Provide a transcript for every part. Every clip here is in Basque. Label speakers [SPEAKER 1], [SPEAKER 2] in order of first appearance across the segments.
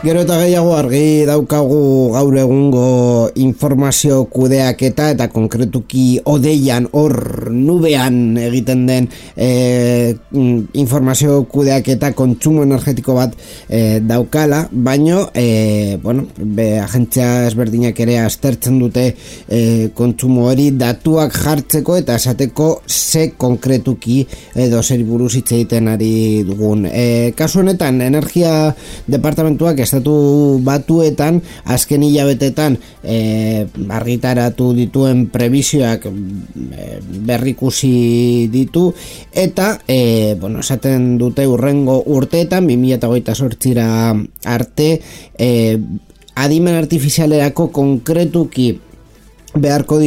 [SPEAKER 1] Gero eta gehiago argi daukagu gaur egungo informazio kudeaketa eta konkretuki odeian hor nubean egiten den informazio kudeaketa kontsumo energetiko bat daukala, baino agentzia ezberdinak ere aztertzen dute kontsumo hori datuak jartzeko eta esateko ze konkretuki edo zer buruz hitz egiten ari dugun. Kasu honetan energia departamentuak Estatu Batuetan azken hilabetetan argitaratu dituen prebisioak berrikusi ditu eta esaten dute hurrengo urteetan 2028ra arte adimen artifizialerako konkretuki beharko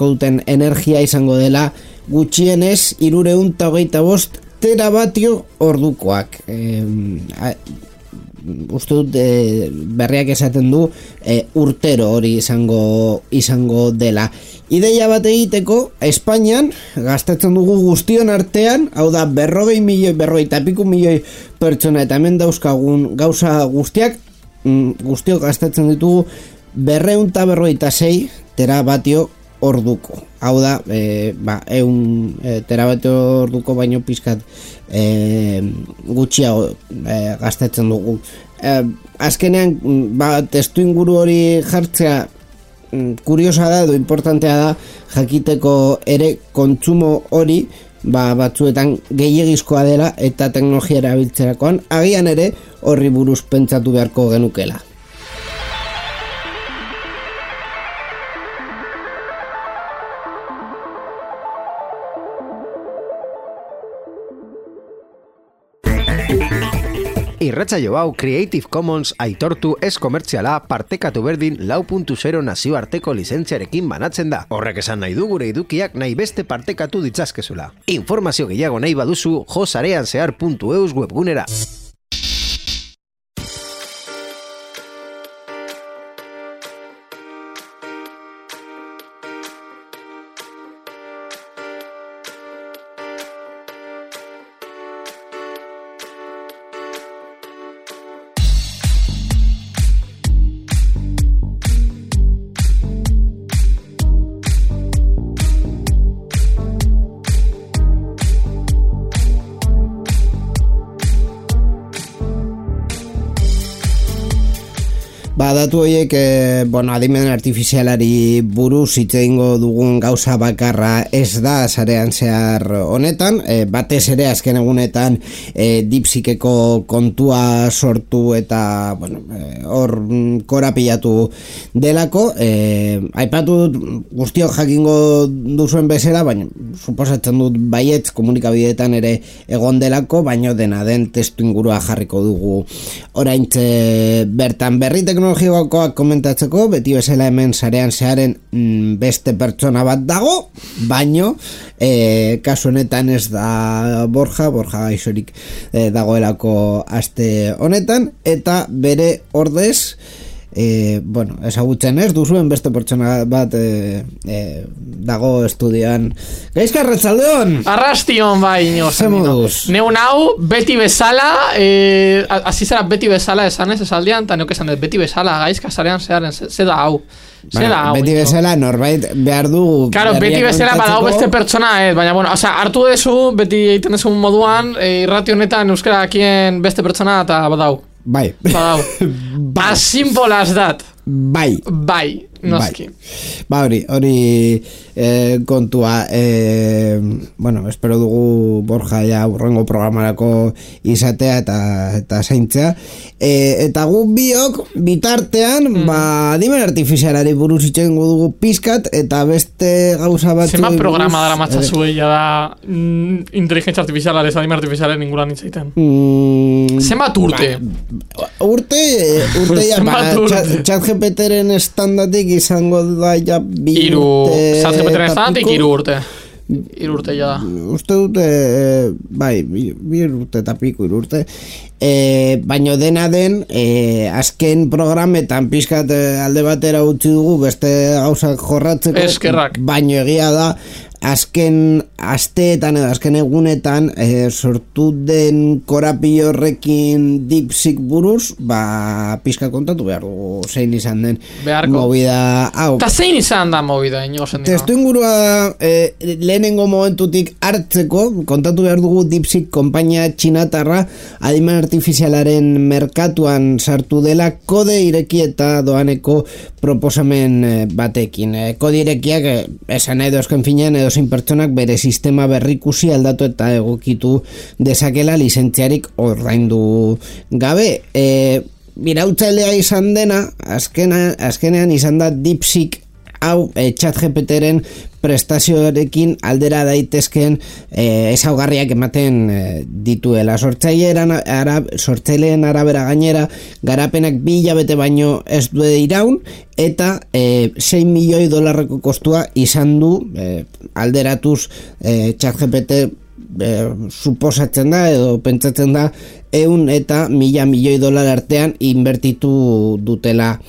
[SPEAKER 1] duten energia izango dela gutxienez 325 terabatio ordukoak. Uste dut berriak esaten du urtero hori izango dela. Ideia bat egiteko Espainian gastatzen dugu guztion artean, hau da 40 milioi pertsona eta hemen dauzkagun gauza guztiak guztiok gastatzen ditugu 256 terabatio orduko. Hau da, 100 terabatio orduko baino pizkat gutxiago gastatzen dugu. Azkenean, testu inguru hori jartzea kuriosa da edo importantea da jakiteko ere kontsumo hori batzuetan gehiegizkoa dela eta teknologia erabiltzerakoan agian ere horri buruz pentsatu beharko genukela.
[SPEAKER 2] Irratsaio hau Creative Commons aitortu ez komertziala partekatu berdin 4.0 nazioarteko lizentziarekin banatzen da. Horrek esan nahi du gure edukiak nahi beste partekatu ditzazkezula. Informazio gehiago nahi baduzu josareanzehar.eus webgunera.
[SPEAKER 1] Datu horiek, adimen artifizialari buruz hitz egingo dugun gauza bakarra ez da sarean zehar honetan, batez ere azken egunetan DeepSeekeko kontua sortu eta hor korapilatu delako, aipatu guztiok jakingo duzuen bezala, baina suposatzen dut baietz komunikabideetan ere egon delako, baino dena den testu ingurua jarriko dugu oraintxe bertan. Berri teknologikoak komentatzeko, beti bezala hemen sarean zeharen beste pertsona bat dago, baino kasu honetan ez da Borja gaixorik dagoelako aste honetan, eta bere ordez ezagutzen ez duzuen beste pertsona bat dago estudioan. Gaizka, Arratsaldeon!
[SPEAKER 3] Arrastion, bai, neu nau, beti bezala, azizara beti bezala esanez esaldian, eta neuk esan beti bezala, Gaizka, sarean zeharen, ze da hau.
[SPEAKER 1] Beti bezala norbait behar du.
[SPEAKER 3] Claro, beti bezala badau beste pertsona, baina, hartu dezu, beti egiten dezu moduan, irrati honetan euskarakien beste pertsona eta badau.
[SPEAKER 1] Bai.
[SPEAKER 3] As simple as that.
[SPEAKER 1] Bai.
[SPEAKER 3] Noski.
[SPEAKER 1] Bai. Hori kontua, bueno, espero dugu Borja ja urrengo programarako izatea eta zaintzea. Eta gu biok bitartean, adimen artifizialari buruz itxengo dugu pizkat, eta beste gauza bat...
[SPEAKER 3] Zema programa dara matzazu egia da inteligentzia artifizialare, adimen artifizialaren inguran itzaiten? Zenbat urte?
[SPEAKER 1] Urte ja, ChatGPTren estandatik izango da ja bi urte...
[SPEAKER 3] ChatGPTren estandatik 3 urte. 3 urte ja da.
[SPEAKER 1] Uste dute, bai, 2 urte eta piku 3 urte. Baino dena den, azken programetan pixkat alde batera utzi dugu beste gauzak jorratzeko.
[SPEAKER 3] Eskerrak.
[SPEAKER 1] Baino egia da, azken asteetan edo azken egunetan sortu den korapio horrekin DeepSeek buruz, pixka kontatu behar dugu zein izan den movida hau.
[SPEAKER 3] Eta zein izan da movida, inigo zen dira?
[SPEAKER 1] Testu ingurua lehenengo momentutik hartzeko, kontatu behar dugu DeepSeek konpainia txinatarra adimen artifizialaren merkatuan sartu dela kode ireki eta doaneko proposamen batekin. Kode irekiak esan edo esken finean edo zein pertsonak bere sistema berrikusi aldatu eta egokitu dezakela lizentziarik ordaindu gabe. Irautzailea izan dena, azkenean izan da DeepSeek hau ChatGPTren prestazioarekin aldera daitezken ezaugarriak ematen dituela. Sortzaileen arabera gainera garapenak 2 hilabete baino ez du iraun eta $6 milioi kostua izan du alderatuz ChatGPT suposatzen da edo pentsatzen da $100 eta $1.000 milioi artean inbertitu dutela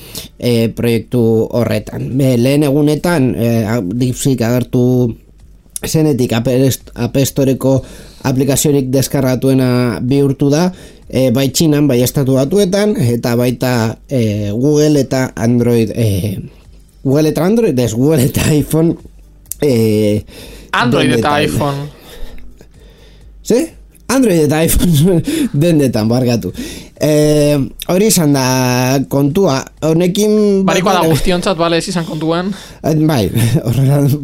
[SPEAKER 1] proiektu horretan. Lehen egunetan DeepSeek agertu zenetik App Storeko aplikaziorik deskargatuena bihurtu da, bai Txinan, bai Estatu Batuetan, eta baita Google eta Android, Google eta iPhone,
[SPEAKER 3] Android eta iPhone.
[SPEAKER 1] ¿Sí? Android eta iPhone dendetan, bargatu. Hori izan da kontua. Honekin...
[SPEAKER 3] Barikoa da guztiontzat, bale, ez izan kontuen?
[SPEAKER 1] Bai,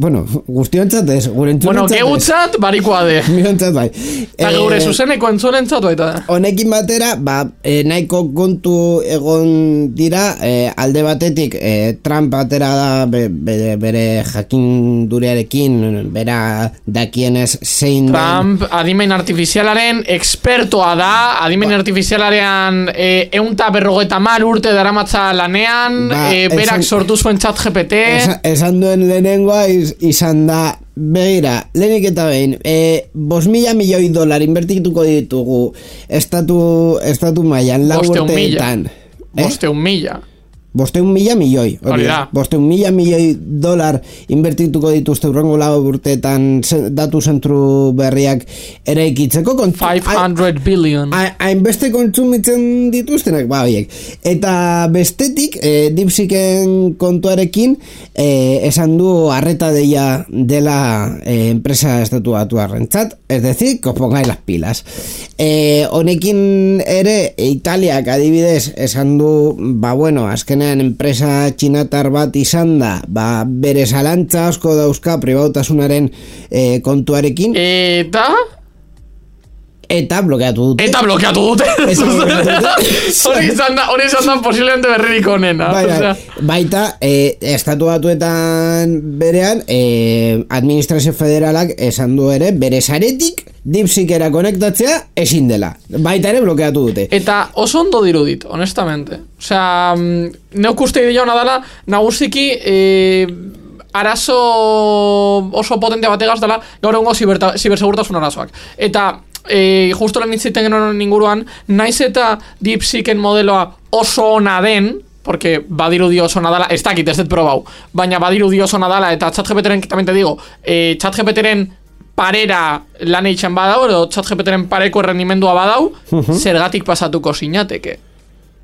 [SPEAKER 1] bueno, guztiontzat ez, gure entzunentzat ez.
[SPEAKER 3] Bueno, geutzat, barikoa de.
[SPEAKER 1] Miontzat bai.
[SPEAKER 3] Eta gure zuzeneko entzunentzat baita.
[SPEAKER 1] Honekin batera, nahiko kontu egon dira, alde batetik, Trump batera da bere jakindurearekin, bera dakienez zein...
[SPEAKER 3] Trump, adimen artifizialaren expertoa da, adimen artifizialaren 150 urte daramatza lanean, berak sortu zuen ChatGPT.
[SPEAKER 1] Esan duen lehenengoa izan da, begira, lehenik eta behin, $5.000 milioi inbertituko ditugu estatu mailan 4 urteetan. 500.000 milioi. $500.000 milioi inbertituko dituzte urrengo 4 urteetan datu zentru berriak eraikitzeko.
[SPEAKER 3] 500 billion.
[SPEAKER 1] Hainbeste kontsumitzen dituztenak, horiek. Eta bestetik, DeepSeeken kontuarekin, esan du arreta deia dela enpresa estatu batuarrentzat, es decir, que os pongáis las pilas. Honekin ere, Italiak adibidez esan du, bueno, azkenean enpresa txinatar bat izan da, bere zalantza asko dauzka pribautasunaren kontuarekin. Eta blokeatu dute.
[SPEAKER 3] Hori izan da posiblemente berririk onena.
[SPEAKER 1] Baita, Estatu Batuetan berean, administrazio federalak esan du ere, bere zaretik DeepSeekera konektatzea ezin dela. Baita ere blokeatu dute.
[SPEAKER 3] Eta oso ondo dirudit, honestamente. Osea, neuk uste idea hona dela, nagusiki arazo oso potente bategaz dela gaur egungo zibersegurtasun arazoak. Eta justo lan hitziten genuen inguruan, naiz eta DeepSeeken modeloa oso ona den, porque badirudi oso ona dela, ez dakit, ez dut probau, baina badirudi oso ona dela, eta ChatGPTren, también te digo, ChatGPTren parera lan eitzen badau, edo ChatGPTren pareko errendimendua badau, zergatik pasatuko sinateke.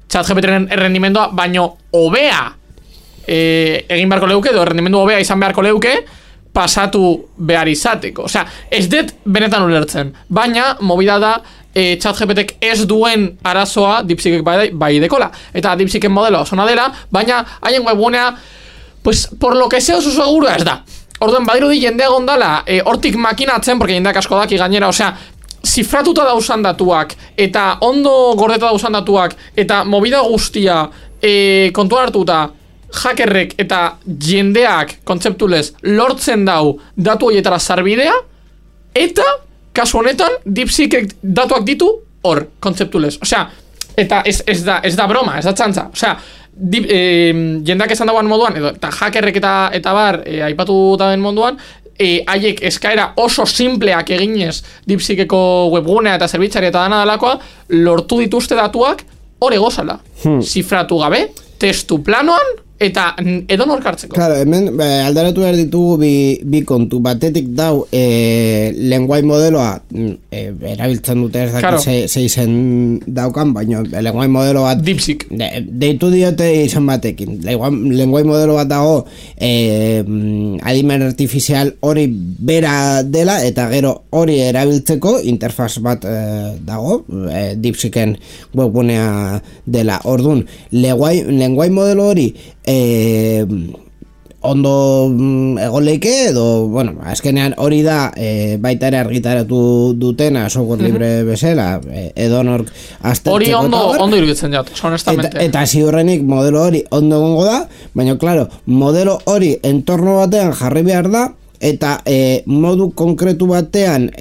[SPEAKER 3] ChatGPTren errendimendua baino hobea egin beharko leuke, edo errendimendu hobea izan beharko leuke, pasatu behar izateko. Osea, ez dut benetan ulertzen. Baina, movida da, ChatGPTek ez duen arazoa DeepSeekek bai dekola. Eta DeepSeeken modelo osona dela, baina haien webgunea pues por lo que sea oso seguro ez da. Orduan badirudi jendea gondala hortik makinatzen, porque jendeak asko daki gainera, osea, zifratuta dauzan datuak, eta ondo gordeta dauzan datuak, eta movida guztia kontuan hartuta, hackerrek eta jendeak kontzeptulez lortzen dau datu horietara sarbidea, eta kasu honetan DeepSeek datuak ditu hor, kontzeptulez. Osea, eta ez da broma, ez da txantza. Osea, jendeak esan dagoan moduan, eta hackerrek eta bar aipatu dauen moduan, haiek eskaera oso simpleak eginez DeepSeekeko webgunea eta zerbitzari eta dana dalakoa, lortu dituzte datuak hor egozala. Zifratu gabe, testu planoan, eta edonor hartzeko.
[SPEAKER 1] Claro, hemen aldaratu behar ditugu bi kontu. Batetik dau lenguai modeloa erabiltzen dute ez dakit ze izen daukan, baina lenguai modelo bat
[SPEAKER 3] DeepSeek
[SPEAKER 1] deitu diote izan batekin. Lenguai modelo bat dago adimen artifizial hori bera dela, eta gero hori erabiltzeko interfaz bat dago DeepSeeken webgunea dela. Orduan, lenguai modelo hori ondo egon leike edo, bueno, azkenean hori da baita ere argitaratu dutena software libre bezala, edonork aztertzeko.
[SPEAKER 3] Hori ondo iruditzen jat, honestamente.
[SPEAKER 1] Eta ziurrenik modelo hori ondo egongo da, baina, claro, modelo hori entorno batean jarri behar da, eta modu konkretu batean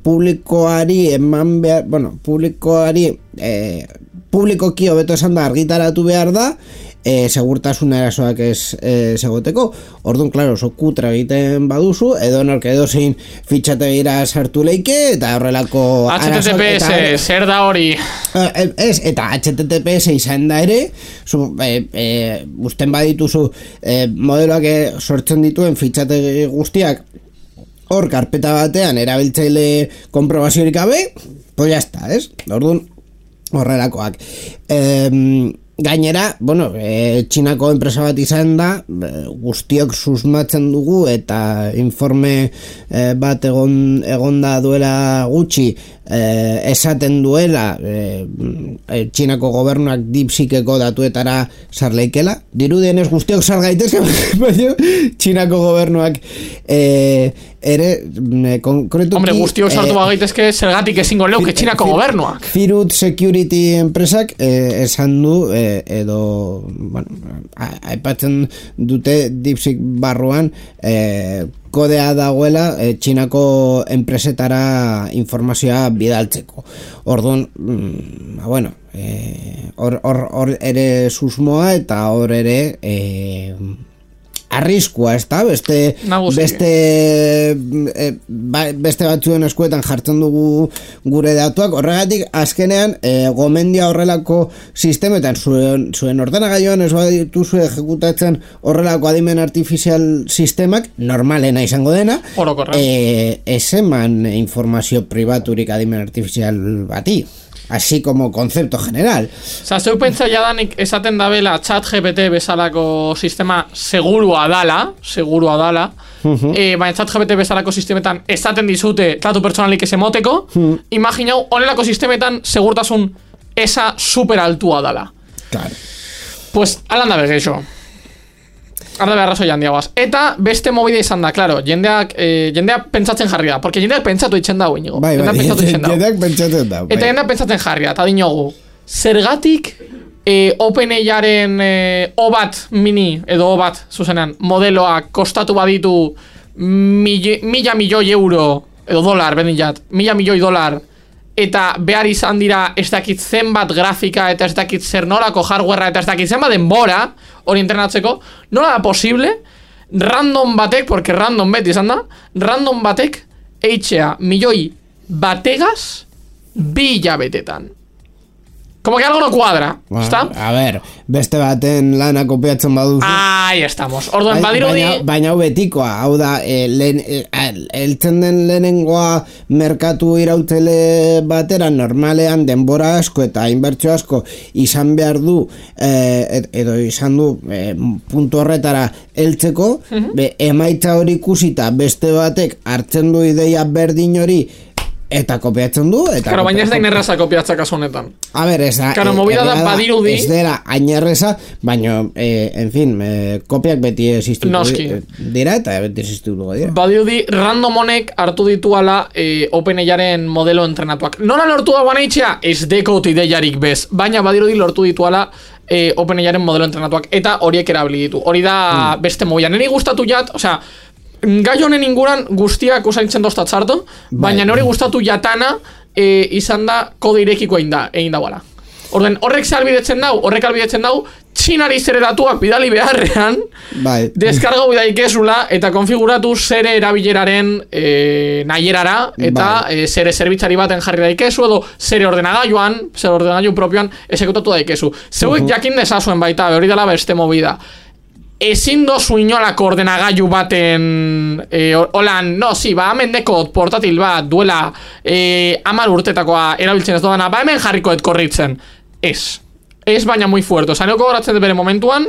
[SPEAKER 1] publikoari eman behar, bueno, publikoki hobeto esan da argitaratu behar da, segurtasun erasoak ez segoteko. Orduan, klaro, oso kutra egiten baduzu, edonork edozein fitxategira sartu leike, eta horrelako
[SPEAKER 3] HTTPS, zer da hori?
[SPEAKER 1] Eta HTTPS izan da ere, usten badituzu modeloak sortzen dituen fitxategi guztiak hor karpeta batean erabiltzaile konprobaziorik gabe, pues ya está, ez? Orduan, horrelakoak. Gainera, bueno, Txinako enpresa bat izan da, guztiok susmatzen dugu, eta informe bat egon da duela gutxi, esaten duela Txinako gobernuak DeepSeekeko datuetara sarleikela. Dirudienez guztiok sargaitezke, baina Txinako gobernuak ere konkretuki...
[SPEAKER 3] Hombre, guztiok sartu bagaitezke zergatik ezingo leuke Txinako gobernuak.
[SPEAKER 1] Firut Security enpresak esan du, edo, bueno, aipatzen dute DeepSeek barruan, kodea dagoela Txinako enpresetara informazioa bidaltzeko. Orduan, bueno, hor ere susmoa, eta hor ere arriskua, ez da? Beste batzuen eskuetan jartzen dugu gure datuak. Horregatik, azkenean, gomendia horrelako sistemetan, zuen ordenagailuan ez badituzu ejekutatzen horrelako adimen artifizial sistemak, normalena izango dena, ez eman informazio pribaturik adimen artifizial bati. Así como concepto general.
[SPEAKER 3] Osa, zeu pentsa jadanik esaten dabela ChatGPT bezalako sistema segurua dala, baina ChatGPT bezalako sistemetan esaten dizute datu pertsonalik ez emoteko, imaginau, honelako sistemetan segurtasun esa super altua dala.
[SPEAKER 1] Claro.
[SPEAKER 3] Pues, alan da begeixo. Arda beharrazo jandiagoaz. Eta beste mobide izan da, claro, jendeak pentsatzen jarri da, porque jendeak pentsatu itzen dago, inigo.
[SPEAKER 1] Jendeak pentsatzen dago.
[SPEAKER 3] Eta jendeak pentsatzen jarri da, eta dinogu, zergatik OpenAIaren O-Bat mini, edo O-Bat, zuzenean, modeloak kostatu baditu mila milioi euro, edo dolar, bendilat, $1.000.000, eta behar izan dira ez dakit zenbat grafika, eta ez dakit zer nolako hardwarea, eta ez dakit zenbat denbora hori entrenatzeko, nola da posible random batek, porque random beti izan da, random batek eitzea milioi bategaz 2 hilabetetan. Como que algo no cuadra, ¿está?
[SPEAKER 1] A ver, beste baten lana kopiatzen baduzu.
[SPEAKER 3] Ahí estamos. Orduan badirudi...
[SPEAKER 1] Baina betikoa, hau da, eltzen den lehenengoa merkatu irautele batera normalean denbora asko eta inbertsio asko izan behar du, edo izan du puntu horretara heltzeko, emaitza hori ikusita beste batek hartzen du ideia berdin hori eta kopiatzen du, eta...
[SPEAKER 3] Claro, baina ez da inerraza kopiatzak kasu honetan.
[SPEAKER 1] A ver, ez da...
[SPEAKER 3] Claro, movida da badirudi...
[SPEAKER 1] Ez dela ainerreza, baina, en fin, kopiak beti existuko dira, eta beti existuko dira.
[SPEAKER 3] Badirudi, random honek hartu dituala OpenAIaren modelo entrenatuak. Nola lortu da baneitzea? Ez dekot ideiarik bez, baina badirudi lortu dituala OpenAIaren modelo entrenatuak, eta horiek erabili ditu. Hori da beste movida. Neri gustatu jat, osea, gai honen inguran guztiak usaintzen doztat zartu, baina nori gustatu jatana izan da kode irekiko egin dauala. Orden, horrek albidetzen dau, txinari zere datuak bidali beharrean, deskargau bidaikezula eta konfiguratu zere erabileraren nahierara, eta zere zerbitzari baten jarri daikezu, edo zere ordenagailu propioan esekutatu daikezu. Zeuek jakin dezazuen baita, hori dela beste movida. Ezin dozu inolako ordenagailu baten holan, hemen dekot portatil bat duela 10 urtetakoa erabiltzen ez doana, hemen jarrikoet korritzen. Ez baina muy fuerte. Osa, neoko goratzen bere momentuan,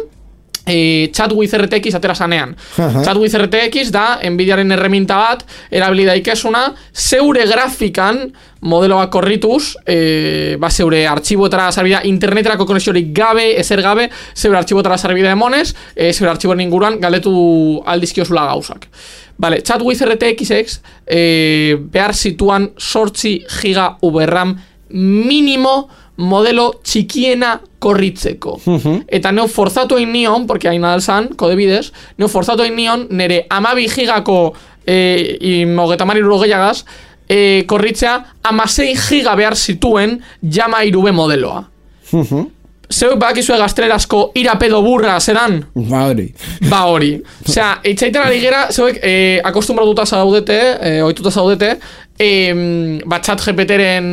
[SPEAKER 3] Chat with RTX atera sanean. Chat with RTX da Nvidiaren erreminta bat erabili daikezuna zeure grafikan modeloak korrituz, zeure artxiboetara sarbida interneterako konexiorik gabe, ezer gabe, zeure artxiboetara sarbida emonez, zeure artxiboen inguruan galdetu aldizkiozula gauzak. Vale, Chat with RTX behar situan 8 giga VRAM mínimo modelo txikiena korritzeko. Eta neu forzatu egin nion, porque hain adalzan, kode bidez, neu forzatu egin nion, nere 12 gigako gehiagaz, korritzea 16 giga behar zituen Llama 3B modeloa. Zeuk bakizue gaztelerasko irapedo burra zedan?
[SPEAKER 1] Ba
[SPEAKER 3] hori. Osea, itxaiten ari gera, zeuek akostumbratuta zaudete, ohituta zaudete, Chat GPT-ren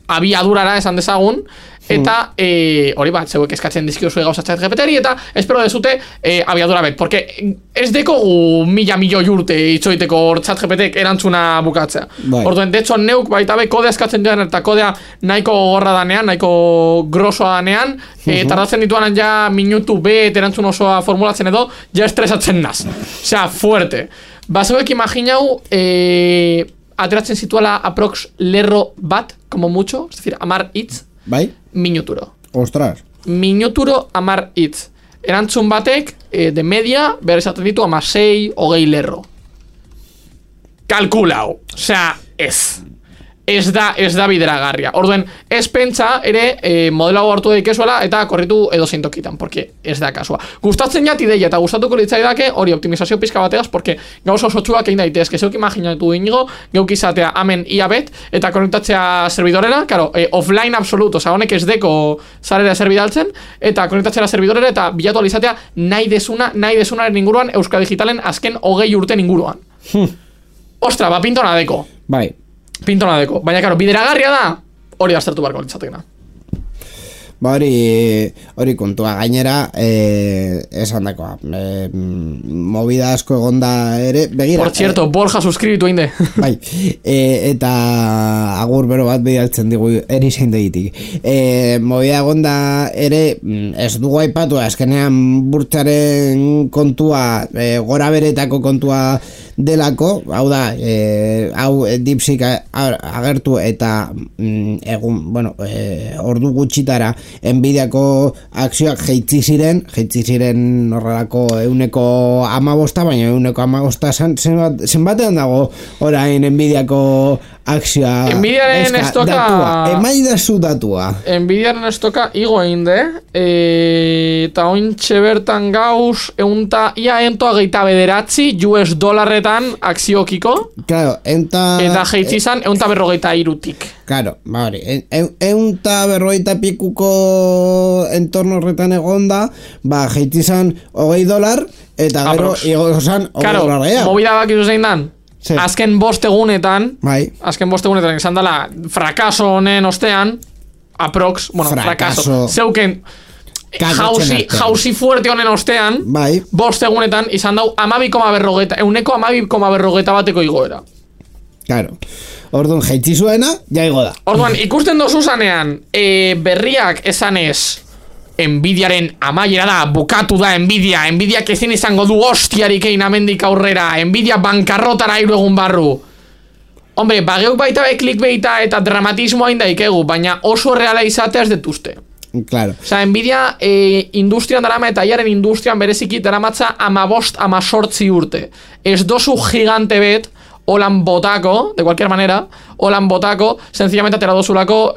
[SPEAKER 3] abiadurara esan dezagun, eta hori zeuek eskatzen dizkiozue gauza Chat GPT-ri, eta espero dezute abiadura bet, porque ez dekogu milioi urte itxoiteko Chat GPT-ek erantzuna bukatzea. Orduen, de hecho, neuk baita be kodea eskatzen duen, eta kodea nahiko gorra danean, nahiko grosoa danean, tardatzen dituanan ja minutu bet erantzun osoa formulatzen edo, ja estresatzen naz. Osea, fuerte. Zeuek imaginau, ateratzen situala aprox lerro bat, como mucho, es decir, 10 hitz, minuturo.
[SPEAKER 1] Ostras.
[SPEAKER 3] Minuturo 10 hitz. Erantzun batek, de media, behar esaten ditu 16, 20 lerro. Kalkulau. Osea, ez da bideragarria. Orduen, ez pentsa ere modelo hartu daikezuela eta korritu edo zeintokitan, porque ez da kasua. Gustatzen jat ideia eta gustatuko litzaidake hori optimizazio pizka bategaz, porque gauza osotsuak egin daitezke. Zeuk imaginatu inigo, geuk izatea amen iabet eta konektatzea servidorera, claro, offline absoluto, oza, honek ez deko zarera zerbidaltzen, eta konektatzea servidorera eta bilatu alizatea nahi desunaren inguruan Euskal Digitalen azken 20 urten inguruan. Ostra, pintona deko. Pintona deko. Baina, karo, bideragarria da, hori aztertu barko litzatekena.
[SPEAKER 1] Hori kontua gainera, esan dakoa. Movida asko egonda ere, begira.
[SPEAKER 3] Por cierto, Borja suscribitu einde.
[SPEAKER 1] Eta agur bero bat bidaltzen digu, eri zein degitik. Movida egonda ere, ez dugu aipatu, azkenean burtsaren kontua, gora beretako kontua delako, hau da, hau DeepSeek agertu eta ordu gutxitara Nvidiako akzioak jeitzi ziren horrelako 115, baina 115 zenbatean dago orain Nvidiako akzioa.
[SPEAKER 3] Nvidiaren estoka
[SPEAKER 1] emaidazu datua.
[SPEAKER 3] Nvidiaren estoka igo einde, eta ointxe bertan gauz $129 akziokiko,
[SPEAKER 1] claro,
[SPEAKER 3] eta jeitzi izan 143-tik.
[SPEAKER 1] Claro, hori, 140 pikuko entorno horretan egonda, jeitzi izan $20, eta gero igo izan $20.
[SPEAKER 3] Claro, movida bakizu zein dan, azken 5 egunetan, izan dela frakaso honen ostean, aprox, frakaso, zeuken jauzi fuerte honen ostean, 5 egunetan izan dau 12,40 bateko igoera.
[SPEAKER 1] Claro. Orduan, jaitzi zuena, ja igo da.
[SPEAKER 3] Orduan, ikusten dozu zanean, berriak esanez, Nvidiaren amaiera da, bukatu da Nvidiak ezin izango du hostiarik egin amendik aurrera, Nvidia bankarrotara 3 egun barru. Hombre, bageuk baita clickbaita eta dramatismoa indaikegu, baina oso reala izatea ez detuzte.
[SPEAKER 1] Claro.
[SPEAKER 3] Osea, Nvidia industrian darama eta iaren industrian bereziki daramatza 15-18 urte. Ez dozu gigante bet, holan botako, de cualquier manera, holan botako, sencillamente atera dozulako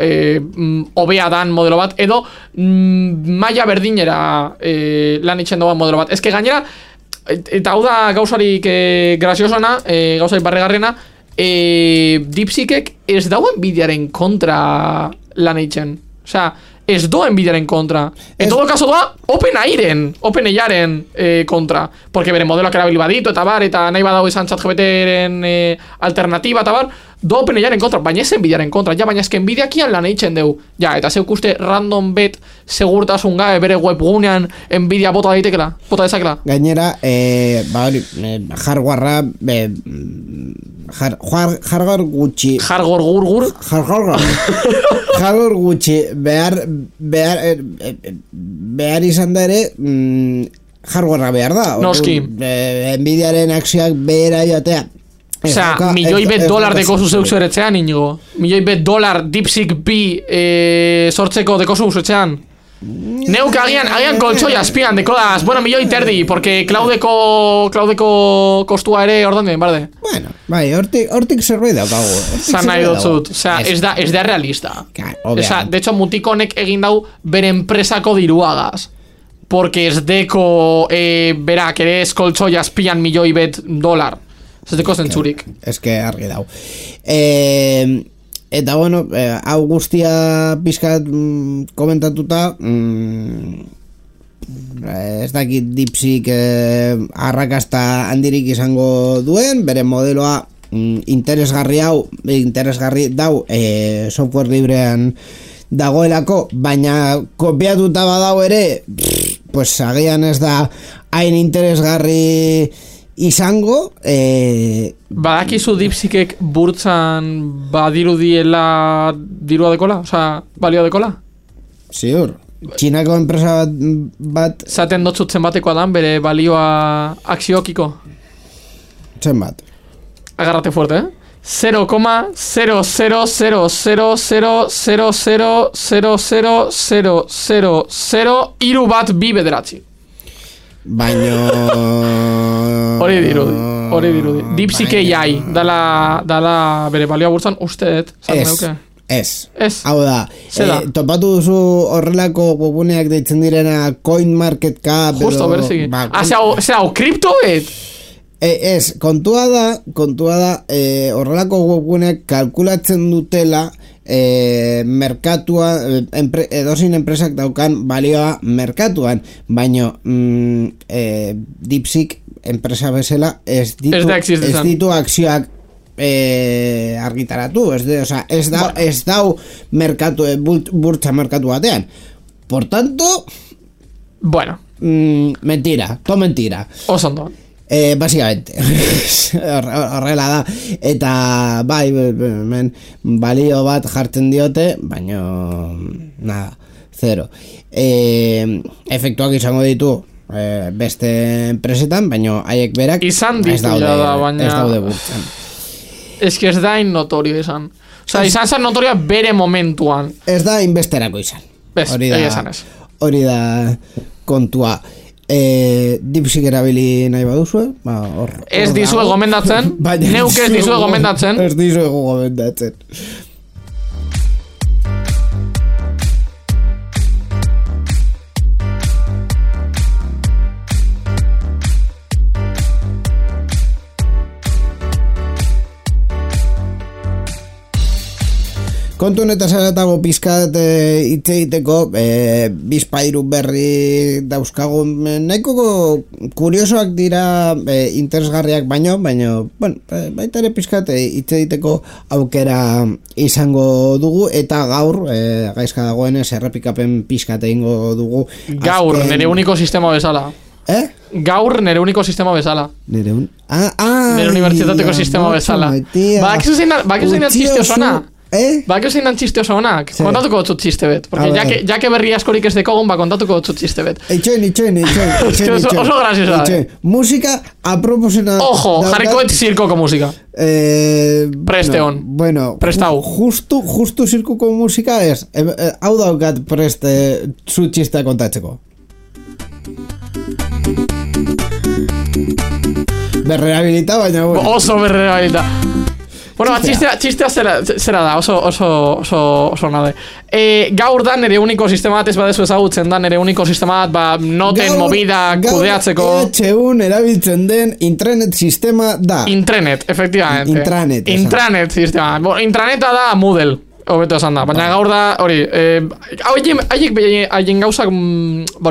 [SPEAKER 3] hobea dan modelo bat, edo maila berdinera lan itxen doan modelo bat. Ez que gainera, eta hau da gauzarik graziosona, gauzarik barregarriena, DeepSeekek ez dauen Nvidiaren kontra lan itxen. Osea, ez doa Nvidiaren kontra. En todo caso doa OpenAIaren kontra. Porque bere modeloak erabili baditu eta bar, eta nahi badau izan ChatGPTren alternatiba eta bar, doa OpenAIaren kontra, baina ez Nvidiaren kontra. Ja, baina ez que Nvidiakian lan eitzen deu. Ja, eta zeuk uste random bet segurtasun gabe bere webgunean Nvidia bota dezakela.
[SPEAKER 1] Gainera, hardwarea hardware gutxi hardware gutxi behar izan da ere hardwarea behar da.
[SPEAKER 3] Noski.
[SPEAKER 1] Nvidiaren akzioak behera joatea.
[SPEAKER 3] Osea, milioi bet dolar dekozu zeuk zuretzean, Inigo. Milioi bet dolar DeepSeek bi sortzeko dekozu zuretzean. Neuk agian koltsoi azpian dekodaz. Bueno, milioi terdi, porque Cloudeko kostua ere ordan den, barde.
[SPEAKER 1] Bueno, bai, hortik zerbait daukagu.
[SPEAKER 3] Zan nahi dotzut. Osea, ez da realista. Osea, de hecho, mutikonek egin dau bere enpresako diruagaz. Porque ez deko berak ere ez koltsoi azpian milioi bet dolar. Ez deko zentzurik.
[SPEAKER 1] Ez que argi dau. Eta bueno, hau guztia pizkat komentatuta, ez dakit DeepSeek arrakasta handirik izango duen, bere modeloa interesgarri dau software librean dagoelako, baina kopiatuta badau ere, pues agian ez da hain interesgarri izango.
[SPEAKER 3] Badakizu DeepSeekek burtzan badirudiela dirua dekola? Osea, balioa dekola?
[SPEAKER 1] Ziur. Txinako enpresa bat
[SPEAKER 3] zaten dotzut zenbatekoa dan bere balioa akziokiko?
[SPEAKER 1] Zenbat?
[SPEAKER 3] Agarrate fuerte, 0,00000000000 hiru bat bi bederatzi.
[SPEAKER 1] Baino
[SPEAKER 3] hori dirudi. DeepSeek AI dala bere balioa burtzan usteet.
[SPEAKER 1] Ez. Hau da, topatu duzu horrelako webuneak deitzen direna CoinMarketCap.
[SPEAKER 3] Justo, bereziki. Zau, kriptoet?
[SPEAKER 1] Ez, kontua da horrelako webuneak kalkulatzen dutela merkatua, edozin enpresak daukan balioa merkatuan, baino DeepSeek enpresa bezala ez ditu akzioak argitaratu, ez dau merkatu, burtsa merkatu batean. Por tanto,
[SPEAKER 3] bueno,
[SPEAKER 1] mentira, todo mentira.
[SPEAKER 3] Osondo.
[SPEAKER 1] Básicamente horrela da, eta bai, balio bat jartzen diote, baino nada, zero. Efektuak izango ditu beste enpresetan, baino haiek berak
[SPEAKER 3] izan ditu da, baina
[SPEAKER 1] ez daude burtzen.
[SPEAKER 3] Ez que ez da notorio izan. Osa, izan zan notoria bere momentuan.
[SPEAKER 1] Ez da inbesterako izan. Hori da kontua. DeepSeek erabili nahi baduzue,
[SPEAKER 3] ez dizue gomendatzen. Neuk ez dizue gomendatzen.
[SPEAKER 1] Ez dizue gomendatzen. Kontu honetaz aratago pizkat hitz egiteko, bizpairu berri dauzkagu, nahiko kuriosoak dira, interesgarriak baino, bueno, baita ere pizkat hitz egiteko aukera izango dugu, eta gaur, gaizka dagoenez, errepikapen pizkat egingo dugu.
[SPEAKER 3] Gaur, nire uniko sistema bezala. Gaur nire uniko sistema bezala. Nire unibertsitateko sistema bezala. Bakizu zein da txiste osona? Ba, zein dan txiste oso honak?
[SPEAKER 1] Sí.
[SPEAKER 3] Kontatuko dut txiste bet. Porque ya que berri askorik ez dekogun, ba, kontatuko dut txiste bet.
[SPEAKER 1] Itxoin.
[SPEAKER 3] Oso graciosa.
[SPEAKER 1] Música aproposena.
[SPEAKER 3] Ojo, jarriko et zirkoko musika. Preste on.
[SPEAKER 1] Bueno,
[SPEAKER 3] Prestau.
[SPEAKER 1] Justu zirkuko musika ez. Hau daukat preste zu txistea kontatzeko. Berrehabilita, baina bueno.
[SPEAKER 3] Oso berrehabilita. Bueno, txistea zera da, oso nade. Gaur da nere uniko sistema bat ez badezu ezagutzen da, nere uniko sistema bat, noten, movida, kudeatzeko.
[SPEAKER 1] Gaur erabiltzen den intranet sistema da.
[SPEAKER 3] Intranet, efectivamente. Intranet sistema. Intraneta da Moodle. Hobeto esan da, baina gaur da, hori, haien gauzak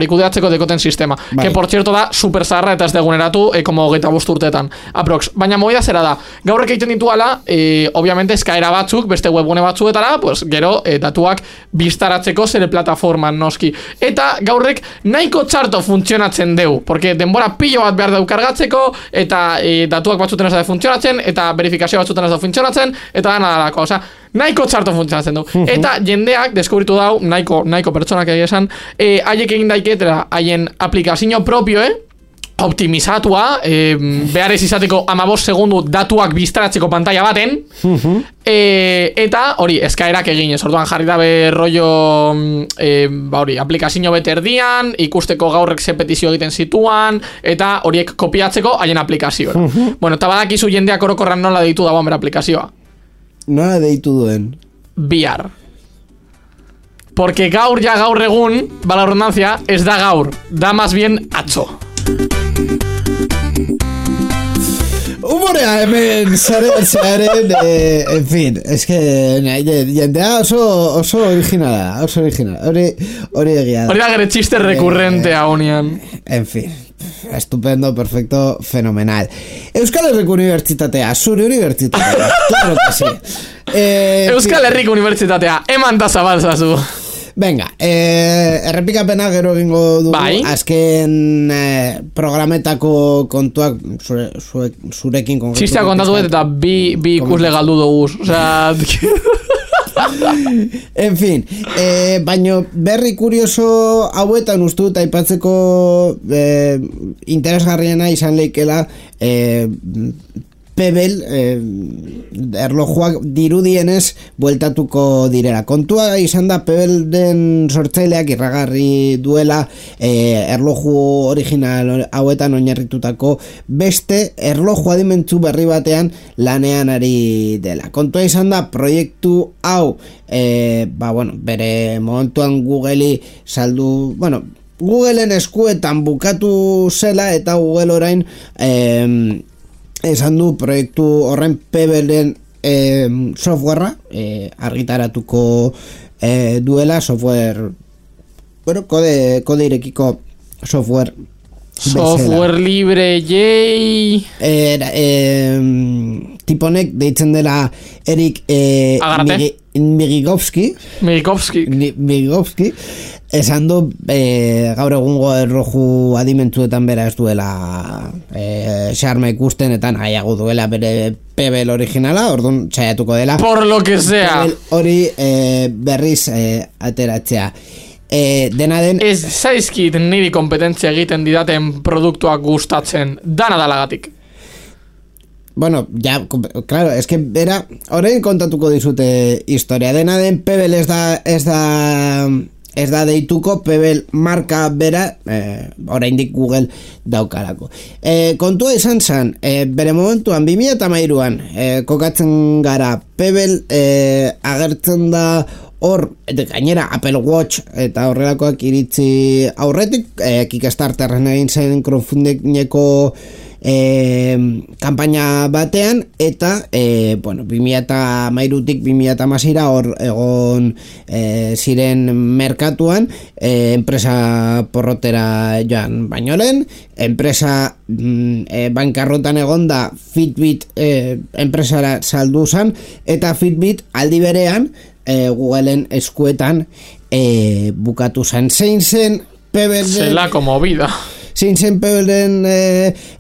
[SPEAKER 3] kudeatzeko dekoten sistema, que por cierto da super zaharra eta ez deguneratu, como 25 urteetan, aprox. Baina movida zera da, gaurrek egiten dituala, obviamente eskaera batzuk, beste webgune batzuetara, pues, gero datuak biztaratzeko zere plataforman noski. Eta gaurrek nahiko txarto funtzionatzen deu, porque denbora pilo bat behar deu kargatzeko, eta datuak batzuten ez da funtzionatzen, eta verifikazio batzuten ez da funtzionatzen, eta da nadalako, osea, nahiko txarto funtzionatzen du. Eta jendeak deskubritu dau, nahiko pertsonak egia esan, haiek egin daiketela haien aplikazio propio, optimizatua, behar ez izateko 15 segundu datuak biztaratzeko pantalla baten, eta hori, eskaerak eginez, orduan jarri dabe rollo, hori, aplikazio beterdian, ikusteko gaurrek ze petizio egiten zituan, eta horiek kopiatzeko haien aplikazioa. Bueno, eta badakizu jendeak orokorran nola deitu dagoen bera aplikazioa.
[SPEAKER 1] Nola deitu duen?
[SPEAKER 3] VR. Porque gaur egun, bala redundancia, ez da gaur, da más bien atzo.
[SPEAKER 1] Humorea hemen zaren, en fin, es que jendea oso originala, hori egia da.
[SPEAKER 3] Hori da gure txiste rekurrentea honian.
[SPEAKER 1] En fin, estupendo, perfecto, fenomenal. Euskal Herriko Unibertsitatea, zure unibertsitatea, claro que sí.
[SPEAKER 3] Euskal Herriko Unibertsitatea, eman da zabalzazu.
[SPEAKER 1] Venga, errepikapena gero egingo dugu, azken programetako kontuak zurekin konkretu.
[SPEAKER 3] Txistea kontatu eta bi ikusle galdu dugu, osea...
[SPEAKER 1] En fin, baino berri kurioso hauetan uste dut aipatzeko interesgarriena izan leikela Pebble erlojuak dirudienez bueltatuko direla. Kontua izan da Pebble den sortzaileak irragarri duela erloju original hauetan oinarritutako beste erloju adimentzu berri batean lanean ari dela. Kontua izan da proiektu hau bere momentuan Googleri saldu, Googleen eskuetan bukatu zela eta Google orain esan du proiektu horren Pebbleen softwarea argitaratuko duela software, kode irekiko software
[SPEAKER 3] libre jei
[SPEAKER 1] tiponek deitzen dela Erik Migigovski esan du gaur egungo erloju adimentzuetan bera ez duela xarma ikusten eta nahiago duela bere Pebble originala, orduan txaiatuko dela
[SPEAKER 3] por lo que sea
[SPEAKER 1] hori berriz ateratzea. Dena den
[SPEAKER 3] ez zaizkit niri kompetentzia egiten didaten produktuak gustatzen dana dalagatik.
[SPEAKER 1] Bueno, ya, claro, es que era orain kontatuko dizute historia. Dena den Pebble ez da deituko, Pebble marka bera oraindik Google daukarako. Kontua izan zen, bere momentuan 2013an kokatzen gara, Pebble agertzen da hor, gainera Apple Watch eta horrelakoak iritzi aurretik, Kickstarterren egin zen crowdfundingeko kampaina batean eta 2013tik 2016ra hor egon ziren merkatuan enpresa porrotera joan baino lehen, enpresa bankarrotan egon da Fitbit enpresara saldu zen eta Fitbit aldi berean Googleen eskuetan bukatu zen. Zein zen Pebble
[SPEAKER 3] zelako movida
[SPEAKER 1] zein zen Pebbleen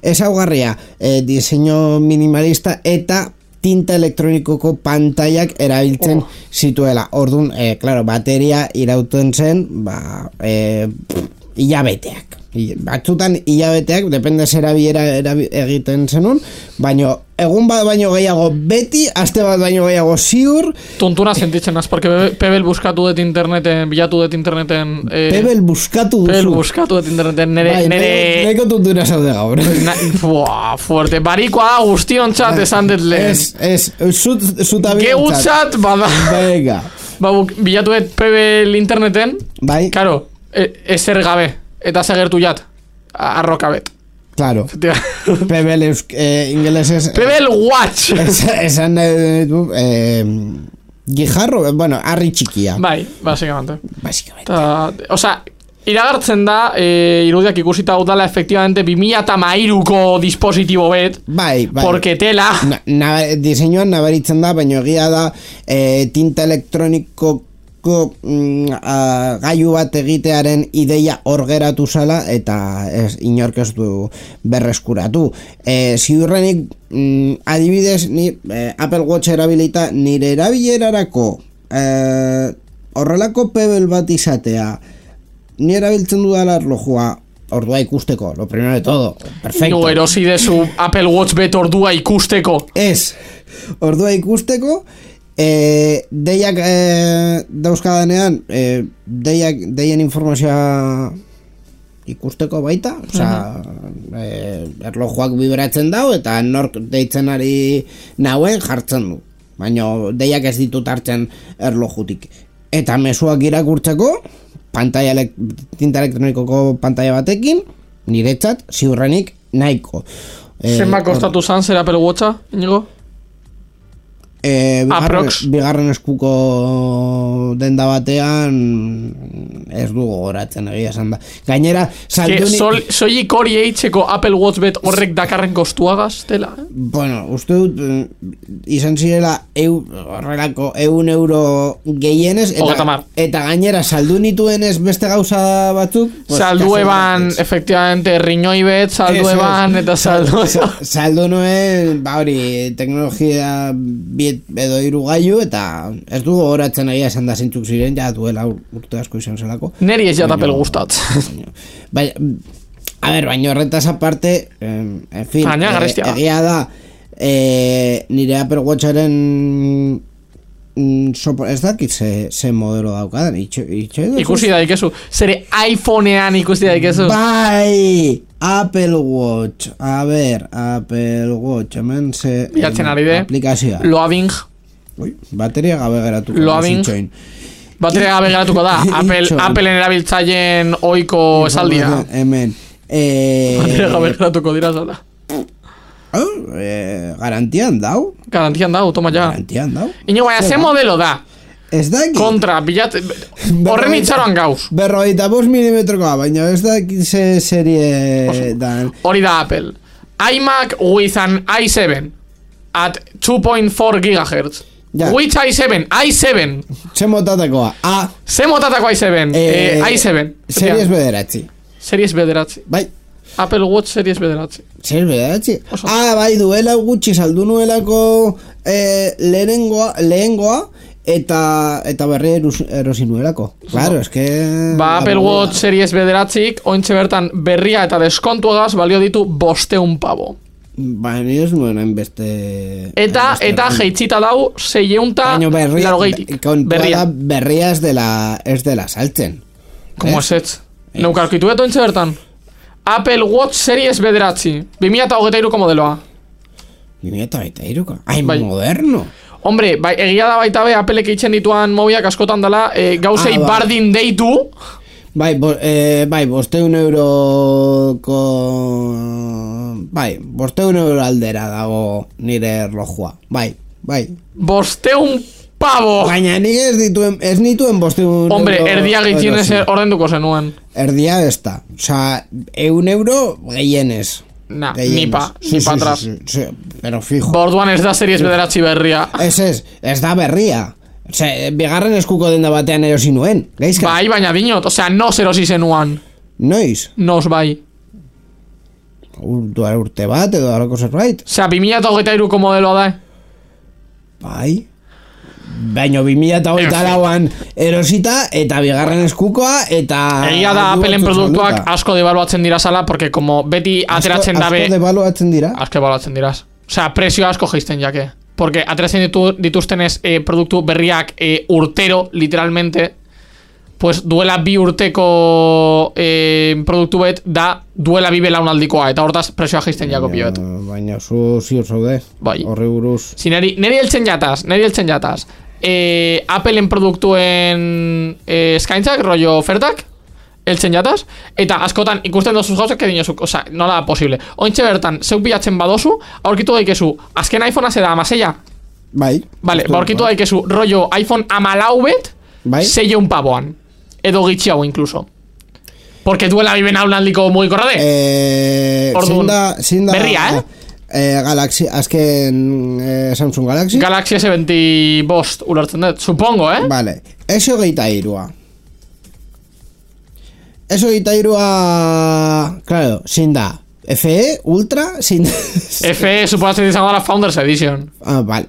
[SPEAKER 1] ezaugarria, diseño minimalista eta tinta elektronikoko pantaiak erabiltzen zituela. Orduan, claro, bateria irauten zen, hilabeteak. Batzutan hilabeteak, depende zera biera egiten zenun, baino egun bat baino gehiago beti, aste bat baino gehiago ziur.
[SPEAKER 3] Tontuna sentitzen az, porque Pebel buskatu dut interneten, bilatu dut interneten...
[SPEAKER 1] Pebel buskatu duzu.
[SPEAKER 3] Pebel buskatu dut interneten, nere...
[SPEAKER 1] Neko tontuna zaude gaur.
[SPEAKER 3] Fuerte, barikoa da guztiontzat esan dut lehen.
[SPEAKER 1] Zuta
[SPEAKER 3] Geutzat, bada.
[SPEAKER 1] Venga.
[SPEAKER 3] Bilatu dut Pebel interneten,
[SPEAKER 1] bai.
[SPEAKER 3] Karo, ezer gabe. Eta segertu jat, arrokabet.
[SPEAKER 1] Claro. Pebel ingelesez...
[SPEAKER 3] Pebel watch!
[SPEAKER 1] Esan guijarro, bueno, arri txikia.
[SPEAKER 3] Bai, básicamente. Osea, iragartzen da, irudiak ikusita dutala, efectivamente, 2013ko dispositibo bet.
[SPEAKER 1] Bai.
[SPEAKER 3] Porque tela...
[SPEAKER 1] Diseinuan nabaritzen da, baina egia da, tinta elektroniko gailu bat egitearen ideia hor geratu zala eta inork ez du berreskuratu. Ziurrenik adibidez ni Apple Watch erabilita nire erabilerarako horrelako Pebble bat izatea ni erabiltzen dudala erlojua ordua ikusteko, lo primero de todo, perfecto.
[SPEAKER 3] No erosi dezu Apple Watch bet ordua ikusteko.
[SPEAKER 1] Ez, ordua ikusteko. Deiak dauzkadanean deien informazioa ikusteko baita, erlojuak vibratzen dau eta nork deitzen ari nauen jartzen du, baina deiak ez ditut hartzen erlojutik. Eta mezuak irakurtzeko tinta elektronikoko pantaia batekin niretzat ziurrenik nahiko.
[SPEAKER 3] Zenba kostatu zan zer Apple Watcha, Inigo?
[SPEAKER 1] Bigarren eskuko denda batean ez du gogoratzen egia esan da. Gainera
[SPEAKER 3] soilik hori eitzeko Apple Watch bet horrek dakarren kostuagaz tela,
[SPEAKER 1] Bueno, uste dut izan zirela horrelako €1 gehienez eta gainera saldu nituenez beste gauza batzuk
[SPEAKER 3] saldu eban, efectivamente, riñoi bet saldu eban eta
[SPEAKER 1] saldu nuen hori teknologia edo hiru gailu eta ez du gogoratzen egia esan da zintzuk ziren ja duela urte asko izan zelako.
[SPEAKER 3] Neri ez jat Apple gustat.
[SPEAKER 1] Baina horretaz aparte en fin, egia da nire Apple Watcharen ez dakit ze modelo daukadan
[SPEAKER 3] ikusi daikezu zere iPhonean ikusi daikezu
[SPEAKER 1] bai Apple Watch Apple Watch hemen ze
[SPEAKER 3] bilatzen ari de
[SPEAKER 1] aplikazioa
[SPEAKER 3] loading
[SPEAKER 1] bateria gabe geratuko
[SPEAKER 3] loading bateria gabe geratuko da Appleen erabiltzaileen ohiko esaldia
[SPEAKER 1] hemen
[SPEAKER 3] bateria gabe geratuko dira zala
[SPEAKER 1] garantian dau,
[SPEAKER 3] toma ya.
[SPEAKER 1] Garantian dau.
[SPEAKER 3] Iño, baina, ze modelo da?
[SPEAKER 1] Ez da ki.
[SPEAKER 3] Kontra, bilat... Horren itxaroan gauz.
[SPEAKER 1] 45 milimetrokoa, baina ez da ze serie da.
[SPEAKER 3] Hori da Apple. iMac with an i7 at 2.4 GHz.
[SPEAKER 1] Ja.
[SPEAKER 3] Which i7? i7.
[SPEAKER 1] Ze motatakoa?
[SPEAKER 3] Ze motatakoa i7? i7. Series bederatzi.
[SPEAKER 1] Bai.
[SPEAKER 3] Apple Watch Series bederatzi.
[SPEAKER 1] Series bederatzi? Bai, duela gutxi saldu nuelako lehengoa eta berri erosi nuelako. Claro, es que...
[SPEAKER 3] Apple Watch Series bederatzik, ointxe bertan berria eta deskontuagaz balio ditu 500 pavo.
[SPEAKER 1] Ni ez nuen hainbeste...
[SPEAKER 3] Eta jeitzita dau 680
[SPEAKER 1] berria ez dela saltzen.
[SPEAKER 3] Como es ez? Neukarkitu eto ointxe bertan? Apple Watch Series bederatzi 2023ko modeloa
[SPEAKER 1] 2023ko? Ai, moderno.
[SPEAKER 3] Hombre, egia da baita be Applek eitzen dituan mobiak askotan dela gauzei bardin deitu.
[SPEAKER 1] Bai, 500 euroko... Bai, 500 euro aldera dago nire erlojua. Bai.
[SPEAKER 3] 500 pavo!
[SPEAKER 1] Baina nik ez nituen 500
[SPEAKER 3] Hombre, erdia gehitzenez ordenduko zenuen.
[SPEAKER 1] Erdia ez da. Osa, 1 euro gehienez.
[SPEAKER 3] Nipa atrás.
[SPEAKER 1] Pero fijo.
[SPEAKER 3] Borduan ez da series bederatzi berria.
[SPEAKER 1] Ez da berria. Bigarren eskuko denda batean erosi nuen. Gaizka?
[SPEAKER 3] Bai, baina dinot. Osea, nos erosi zenuan.
[SPEAKER 1] Noiz?
[SPEAKER 3] Nos bai.
[SPEAKER 1] Urte bat edo alako zerbait.
[SPEAKER 3] Osea, 2023ko modeloa da.
[SPEAKER 1] Bai. Baina 2024an erosita eta bigarren eskukoa eta...
[SPEAKER 3] Egia da Appleen produktuak asko devaluatzen dira zala, porque como beti ateratzen dabe...
[SPEAKER 1] Asko devaluatzen dira?
[SPEAKER 3] Asko devaluatzen dira. Osea, presio asko geisten jake. Porque ateratzen dituztenez produktu berriak urtero, literalmente, pues duela bi urteko produktu bet da duela bi belaunaldikoa, eta hortaz presioa geisten jako pio bet.
[SPEAKER 1] Baina zu ziur zaude,
[SPEAKER 3] bai.
[SPEAKER 1] Horri buruz.
[SPEAKER 3] Si neri heltzen jataz. Appleen produktuen eskaintzak, rollo ofertak, heltzen jataz, eta askotan ikusten dozuz gauzak que dinozuk, oza, nola da posible. Ointxe bertan, zeuk bilatzen badozu, aurkitu daikezu, azken iPhonea zeda amaseia.
[SPEAKER 1] Bai.
[SPEAKER 3] Vale, aurkitu daikezu, rollo iPhone 14 bet,
[SPEAKER 1] bai.
[SPEAKER 3] 6 pavoan. Edo gitxiago incluso. Porque duela biben haulandiko mugikorra de. Orduan, berria,
[SPEAKER 1] Galaxy, azken Samsung Galaxy.
[SPEAKER 3] Galaxy S20 bost ulertzen dut, supongo,
[SPEAKER 1] Vale, S23a. S23a, claro, sin da FE, Ultra, sin da...
[SPEAKER 3] FE suposatzen izango da la Founders Edition.
[SPEAKER 1] Vale.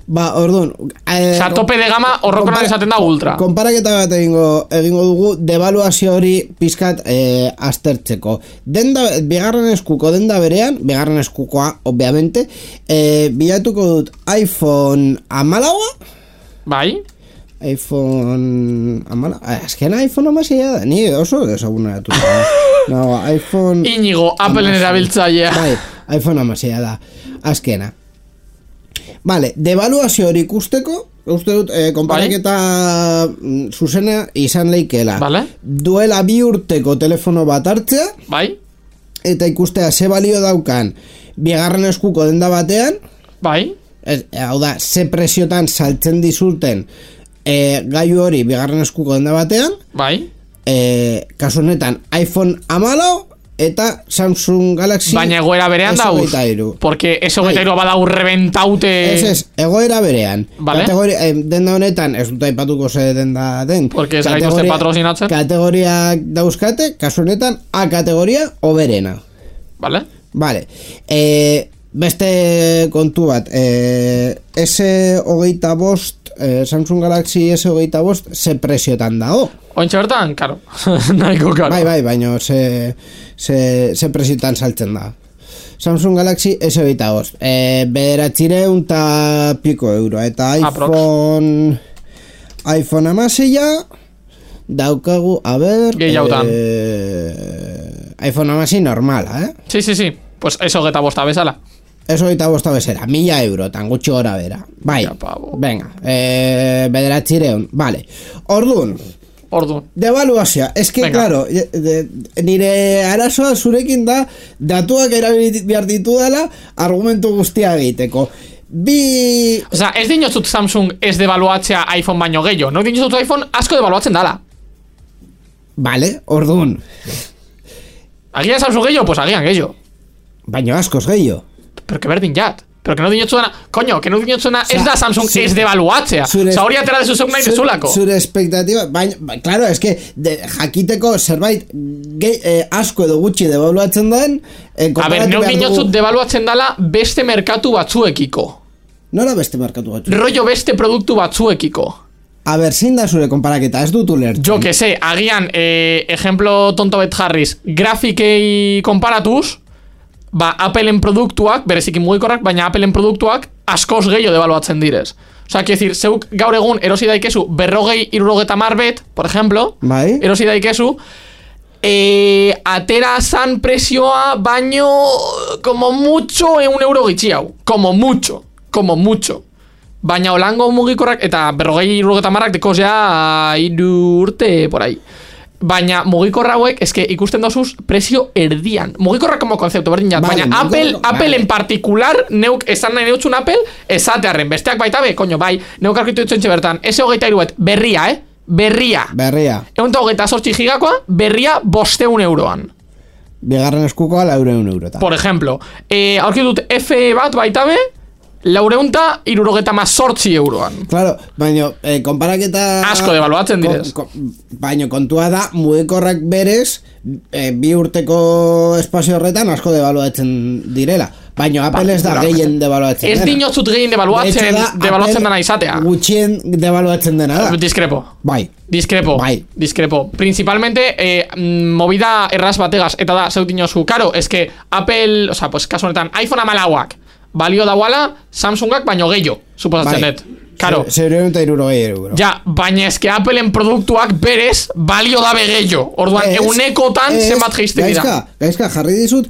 [SPEAKER 1] Ba, orduan...
[SPEAKER 3] Osa, tope de gama horrokonan esaten da Ultra.
[SPEAKER 1] Konparaketa bat egingo dugu devaluazio hori pizkat aztertzeko. Bigarren eskuko denda berean, bigarren eskukoa, obviamente, bilatuko dut iPhone 14.
[SPEAKER 3] Bai.
[SPEAKER 1] iPhone... Azken iPhone amasia da, ni oso desaguna dut. No, iPhone...
[SPEAKER 3] Inigo, Appleen erabiltzailea.
[SPEAKER 1] Bai, iPhone amasia da, azkena. Vale, devaluazio hori ikusteko, uste dut, konparaketa zuzena izan leikela.
[SPEAKER 3] Vale.
[SPEAKER 1] Duela 2 urteko telefono bat hartzea.
[SPEAKER 3] Bai.
[SPEAKER 1] Eta ikustea ze balio daukan bigarren eskuko denda batean.
[SPEAKER 3] Bai.
[SPEAKER 1] Hau da, ze presiotan saltzen dizulten gaiu hori bigarren eskuko denda batean.
[SPEAKER 3] Bai.
[SPEAKER 1] Kasu honetan iPhone 14 eta Samsung Galaxy.
[SPEAKER 3] Baina egoera berean dauz. Porque S23 badau reventaute.
[SPEAKER 1] Ez, egoera berean.
[SPEAKER 3] Vale.
[SPEAKER 1] Denda honetan, ez dut aipatuko ze denda den.
[SPEAKER 3] Porque ez gaituzte patrocinatzen.
[SPEAKER 1] Kategoriak dauzkate, kasu honetan A kategoria oberena.
[SPEAKER 3] Vale.
[SPEAKER 1] Vale. Beste kontu bat, S25, Samsung Galaxy S25 ze presiotan dago.
[SPEAKER 3] Ointxe bertan, karo. Nahiko karo.
[SPEAKER 1] Bai, baina ze presiotan saltzen da. Samsung Galaxy S25 bederatzireun eta piko euro. Eta iPhone amaseia daukagu, a ber...
[SPEAKER 3] Gehiautan.
[SPEAKER 1] iPhone amasi normala,
[SPEAKER 3] Sí. Pues eso geta bosta bezala.
[SPEAKER 1] Eso eta bosta bezera, 1.000 euro, tan gutxi gora bera. Bai, venga, bederatzireun, vale. Orduan. Devaluazioa, eske, claro, nire arazoa zurekin da, datuak erabili behar ditu dela, argumentu guztia egiteko.
[SPEAKER 3] Osa, ez dinozut Samsung ez devaluatzea iPhone baino gehiago, no dinozut iPhone asko devaluatzen dala.
[SPEAKER 1] Vale, orduan.
[SPEAKER 3] Agian Samsung gehiago, pues agian gehiago.
[SPEAKER 1] Baino askoz gehiago.
[SPEAKER 3] Pero que berdin jat. Pero que no dinotzuena, coño, que no dinotzuena ez da Samsung ez devaluatzea. Osa, hori atera de zuzuk nahi dezulako.
[SPEAKER 1] Zure expectativa, claro, es que jakiteko zerbait asko edo gutxi devaluatzen den.
[SPEAKER 3] A ber, no dinotzut devaluatzen dala beste merkatu batzuekiko.
[SPEAKER 1] Nola beste merkatu batzuekiko?
[SPEAKER 3] Rollo beste produktu batzuekiko.
[SPEAKER 1] A ber, zin da zure konparaketa, ez dut ulertzen.
[SPEAKER 3] Jo que sé, agian, ejemplo tonto bet jarriz, grafikei konparatuz, Appleen produktuak, bereziki mugikorrak, baina Appleen produktuak askoz gehiago devaluatzen direz. Osa, quiero decir, zeuk gaur egun erosi daikezu 40-60 bet, por ejemplo,
[SPEAKER 1] bai.
[SPEAKER 3] Erosi daikezu, atera zan presioa baino como mucho €1 gitxiau. Como mucho. Baina holango mugikorrak, eta 40-60 dekoz ja 3 urte, por ahí. Baina mugikorra hauek, eske ikusten dozuz presio erdian. Mugikorra como konzeptu berdin jat. Baina Apple en particular, neuk esan nahi neutzun Apple, esatearren. Besteak baita be, koño, bai, neuk arkitu ditzen txebertan. S23 berria, Berria. 128 gigakoa, berria 500 euroan.
[SPEAKER 1] Bigarren eskukoa 400 eurota.
[SPEAKER 3] Por ejemplo, aurkitut F bat baita be, €478 euroan.
[SPEAKER 1] Claro, baina konparaketa...
[SPEAKER 3] Asko devaluatzen direz.
[SPEAKER 1] Baina kontua da, mugikorrak berez, 2 urteko espazio horretan asko devaluatzen direla. Baina Apple ez da gehien devaluatzen dena.
[SPEAKER 3] Ez dinotzut gehien devaluatzen dena izatea.
[SPEAKER 1] Gutxien devaluatzen dena da.
[SPEAKER 3] Discrepo.
[SPEAKER 1] Bai.
[SPEAKER 3] Discrepo. Principalmente, movida erraz bategaz, eta da, zeut dinozu, karo, ez que Apple, o sea, pues, kasu honetan, iPhone amalauak, balio dauala, Samsungak baino gehiago, suposatzen dut. Karo.
[SPEAKER 1] €760.
[SPEAKER 3] Ja, baina eske Appleen produktuak berez balio dabe gehiago. Orduan, eunekotan zenbat geizte dira.
[SPEAKER 1] Gaizka, jarri dizut,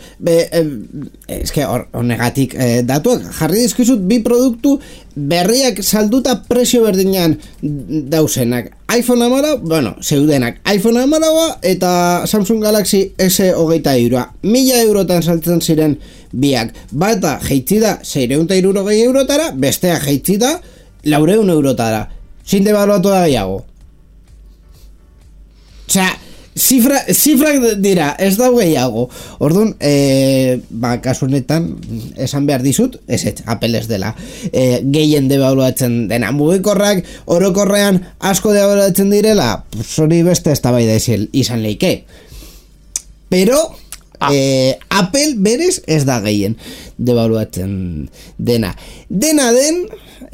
[SPEAKER 1] eske honegatik datuak, jarri dizkizut 2 produktu berriak salduta presio berdinean dausenak. iPhone 14, zeudenak iPhone 14 eta Samsung Galaxy S23. 1.000 eurotan saltzen ziren biak. Bata jeitzi da 660 eurotara, bestea jeitzi da 400 eurotara. Sin devaluatu da gehiago. Osea, zifrak dira, ez da gehiago. Orduan, kasu honetan, esan behar dizut, ez Apple ez dela gehien devaluatzen dena. Mugikorrak orokorrean asko devaluatzen direla, hori beste eztabaida izan leike. Pero Apple berez ez da gehien devaluatzen dena. Dena den,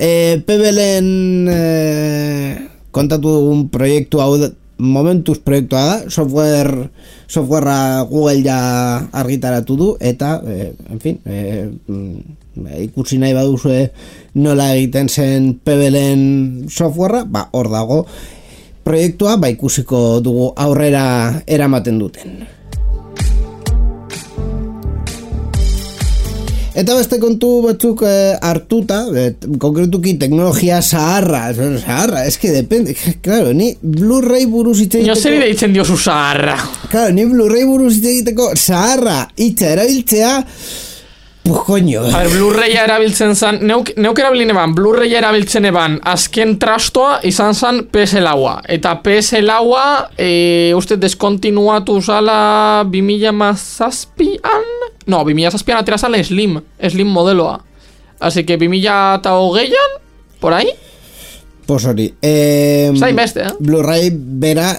[SPEAKER 1] Pebelen kontatu dugun proiektu hau momentuz proiektua da, softwarea Google ja argitaratu du, eta, en fin, ikusi nahi baduzue nola egiten zen Pebelen softwarea, hor dago proiektua, ikusiko dugu aurrera eramaten duten. Eta beste kontu batzuk hartuta, konkretuki teknologia zaharra, eske depende, claro, ni Blu-ray buruz hitz egiteko...
[SPEAKER 3] Nio zer deitzen diozu zaharra.
[SPEAKER 1] Claro, ni Blu-ray buruz hitz egiteko zaharra hitza erabiltzea, pues coño.
[SPEAKER 3] A ver, Blu-raya erabiltzen zan, neuk erabilin eban, Blu-raya erabiltzen eban, azken trastoa izan zan PS-laua. Eta PS-laua, uste deskontinuatu zala 2007an? No, 2007an atera zala Slim modeloa. Así que 2008an, por ahí?
[SPEAKER 1] Pues hori.
[SPEAKER 3] Zain beste,
[SPEAKER 1] Blu-ray bera,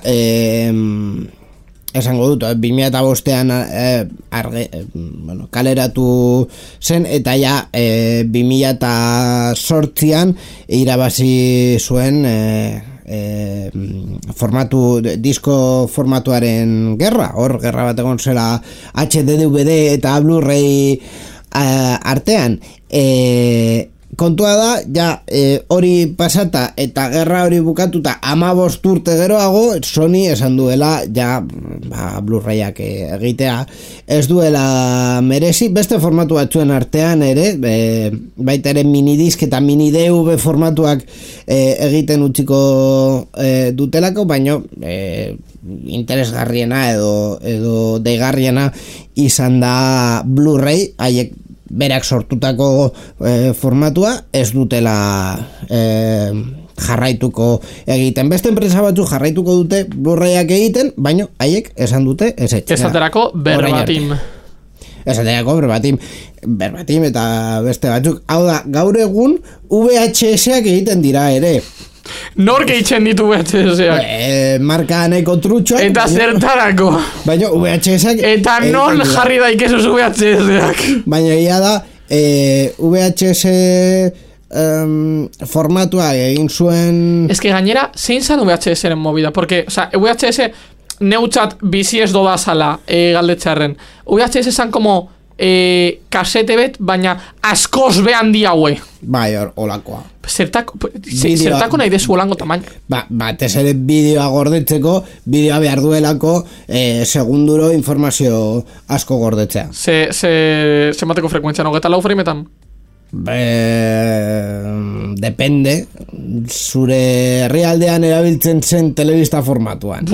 [SPEAKER 1] esango dut, 2005an kaleratu zen, eta ja 2008an irabazi zuen disko formatuaren gerra. Hor, gerra bat egon zela HD, DVD eta Blu-ray artean. Kontua da, ja, hori pasata eta gerra hori bukatuta 15 urte geroago, Sony esan duela, ja, Blu-rayak egitea, ez duela merezi, beste formatu batzuen artean ere, baita ere minidisk eta mini-DV formatuak egiten utziko dutelako, baino interesgarriena edo deigarriena izan da Blu-ray, haiek berak sortutako formatua ez dutela jarraituko egiten. Beste enpresa batzu jarraituko dute Blu-rayak egiten, baino haiek esan dute ez etxera.
[SPEAKER 3] Esaterako berbatim.
[SPEAKER 1] Esaterako berbatim eta beste batzuk. Hau da, gaur egun VHS-ak egiten dira ere.
[SPEAKER 3] Nor gehitzen ditu VHS-ak?
[SPEAKER 1] Marka nahiko trutxoak.
[SPEAKER 3] Eta zertarako.
[SPEAKER 1] Baina VHS-ak...
[SPEAKER 3] Eta non jarri daikesuz VHS-ak?
[SPEAKER 1] Baina ia da, VHS formatua egin zuen...
[SPEAKER 3] Ez que gainera, zein zan VHS-eren movida? Porque, o sea, VHS neutzat bizi ez doda zala galdetxarren. VHS zan como... kasete bet, baina askoz behan diaue.
[SPEAKER 1] Bai, olakoa.
[SPEAKER 3] Zertako nahi dezu olango tamaina.
[SPEAKER 1] Batez ere bideoa gordetzeko, bideoa behar duelako segunduro informazio asko gordetzea.
[SPEAKER 3] Ze mateko frekuentzia, no? Geta 4 frameetan?
[SPEAKER 1] Depende. Zure herrialdean erabiltzen zen telebista formatuan.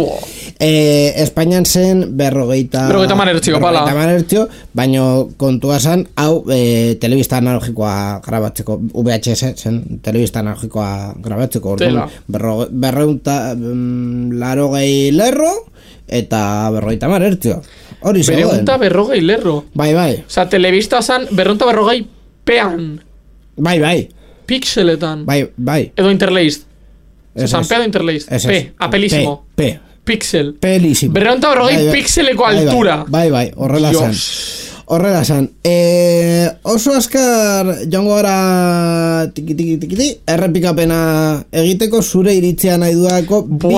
[SPEAKER 1] Espainian zen 50 manertzio, baina kontua zen hau telebista analogikoa grabatzeko, VHS zen telebista analogikoa grabatzeko, 280 lerro eta 50 manertzio. Hori zegoen.
[SPEAKER 3] 240 lerro.
[SPEAKER 1] Bai.
[SPEAKER 3] Osa, telebista zen 240 pean.
[SPEAKER 1] Bai.
[SPEAKER 3] Pixeletan.
[SPEAKER 1] Bai.
[SPEAKER 3] Edo interlaced.
[SPEAKER 1] Ez,
[SPEAKER 3] San Pedro interlaced. P, apelísimo.
[SPEAKER 1] P.
[SPEAKER 3] Pixel.
[SPEAKER 1] Pelísimo.
[SPEAKER 3] 240 pixeleko altura.
[SPEAKER 1] Bai, horrela zan. Oso askar joango gara tiki, errepikapena egiteko zure iritzea nahi duako bi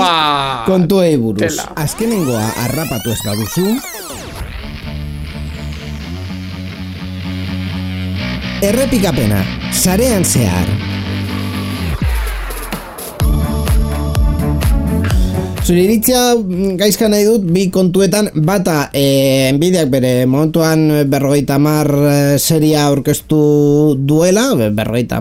[SPEAKER 1] kontuei buruz. Azkenengoa harrapatu ez baduzu. Errepikapena, sarean zehar. Zure iritzia gaizka nahi dut bi kontuetan, bata Nvidiak bere momentuan 50 seria aurkeztu duela, 50,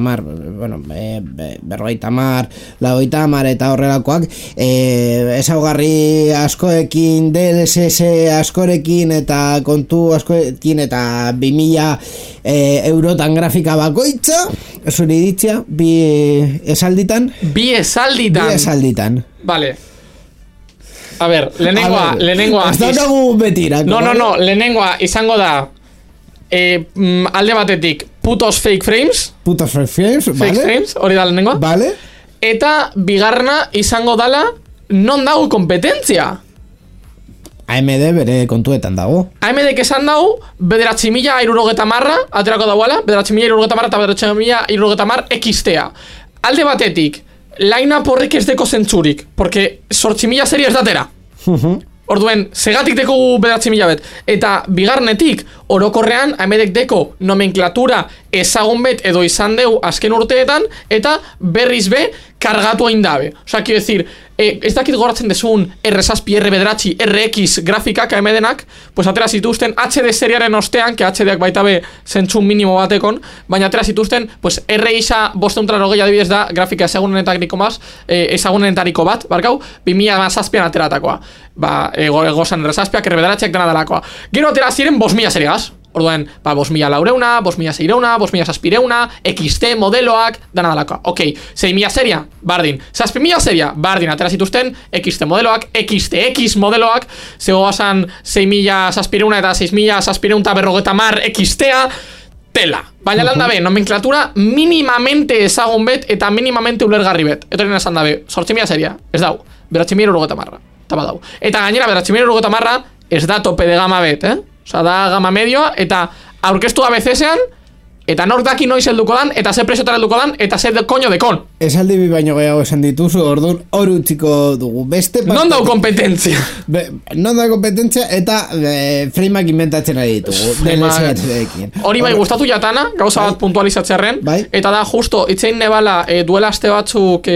[SPEAKER 1] bueno, 50, 50 eta horrelakoak, ezaugarri askoekin, DLSS askorekin eta kontu askoekin eta 2000 eurotan grafika bakoitza. Zure iritzia bi esalditan.
[SPEAKER 3] Bi esalditan. Vale. A ver, lehenengoa.
[SPEAKER 1] Ez daukagu betirak.
[SPEAKER 3] No, lehenengoa izango da alde batetik putos fake frames. Fake frames, hori da lehenengoa.
[SPEAKER 1] Vale.
[SPEAKER 3] Eta bigarrena izango dala non dago kompetentzia.
[SPEAKER 1] AMD bere kontuetan dago.
[SPEAKER 3] AMD esan dago 9.060 aterako dauala, 9.060 eta 9.060 XT-a. Alde batetik line-up horrek ez deko zentzurik, porque 8.000 serie ez datera. Orduen, segatik deko 9.000 bet. Eta bigarnetik, orokorrean, AMDek deko nomenklatura ezagun bet edo izan deu azken urteetan, eta berriz be, kargatu hain dabe. Osa, quiero decir, ez dakit goratzen desun R7, R9, RX grafikak AMDenak, pues atera zituzten HD seriaren ostean, que HDak baita be zentzun minimo batekon, baina atera zituzten, pues RX 580 adibidez da grafika ezagunenetariko bat, barkau, 2007an ateratakoa. Gozan R7ak, R9ak dena dalakoa. Gero atera ziren 5.000 seriagaz. Orduan, 5.000 laureuna, 5.000 seireuna, 5.000 saspireuna, XT modeloak, dana dalakoa. Ok, 6.000 seria, bardin. 6.000 seria, bardin, atera zituzten XT modeloak, XTX modeloak, zego basan 6.000 saspireuna eta 6.000 saspireunta 50 XT-a, tela. Baina landa be, nomenklatura minimamente ezagun bet eta minimamente ulergarri bet. Etorien esan dabe, 8.000 seria, ez dau, 9.060. Eta gainera, 9.060 ez da tope de gama bet, Osa, da gama medioa, eta aurkeztu ABC-ean, eta nork daki noiz helduko dan, eta ze presiotan helduko dan, eta ze koño dekon.
[SPEAKER 1] Esaldi bi baino gehiago esan dituzu, orduan hor utziko dugu.
[SPEAKER 3] Non dau kompetentzia?
[SPEAKER 1] Non dau kompetentzia, eta frameak inventatzen ari ditugu.
[SPEAKER 3] Hori bai gustatu jatana, gauza bat puntualizatzearen, eta da justo, itzein nebala duela aste batzuk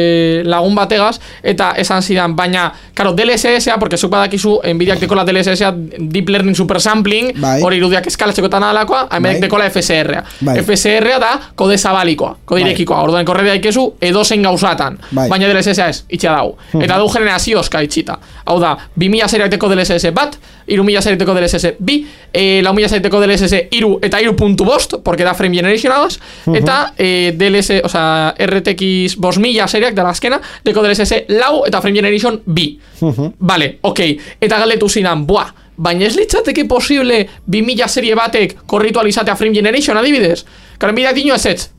[SPEAKER 3] lagun bategaz, eta esan zidan, baina, karo, DLSS-a, porque zuk badakizu, Nvidiak dekola DLSS-a, Deep Learning Super Sampling, hori irudiak eskalatzeko eta nadalakoa, AMDek dekola FSR-a. FSR-a da kode zabalikoa, kode irekikoa, orduan korredea ikezu edozein gauzatan, baina DLSS-a ez, itxea dago. Eta du generazioska itxita. Hau da, 2.000 seriak deko DLSS bat, 3.000 seriak deko DLSS bi, 4.000 seriak deko DLSS iru eta 2.5, porque da frame generation agaz, eta DLSS, oza, RTX 5.000 seriak da azkena, deko DLSS lau eta frame generation bi. Vale, ok. Eta galdetu zidan, baina ez litzateke posible 2.000 serie batek korritualizatea frame generation adibidez? Karen bideak dino ezetz,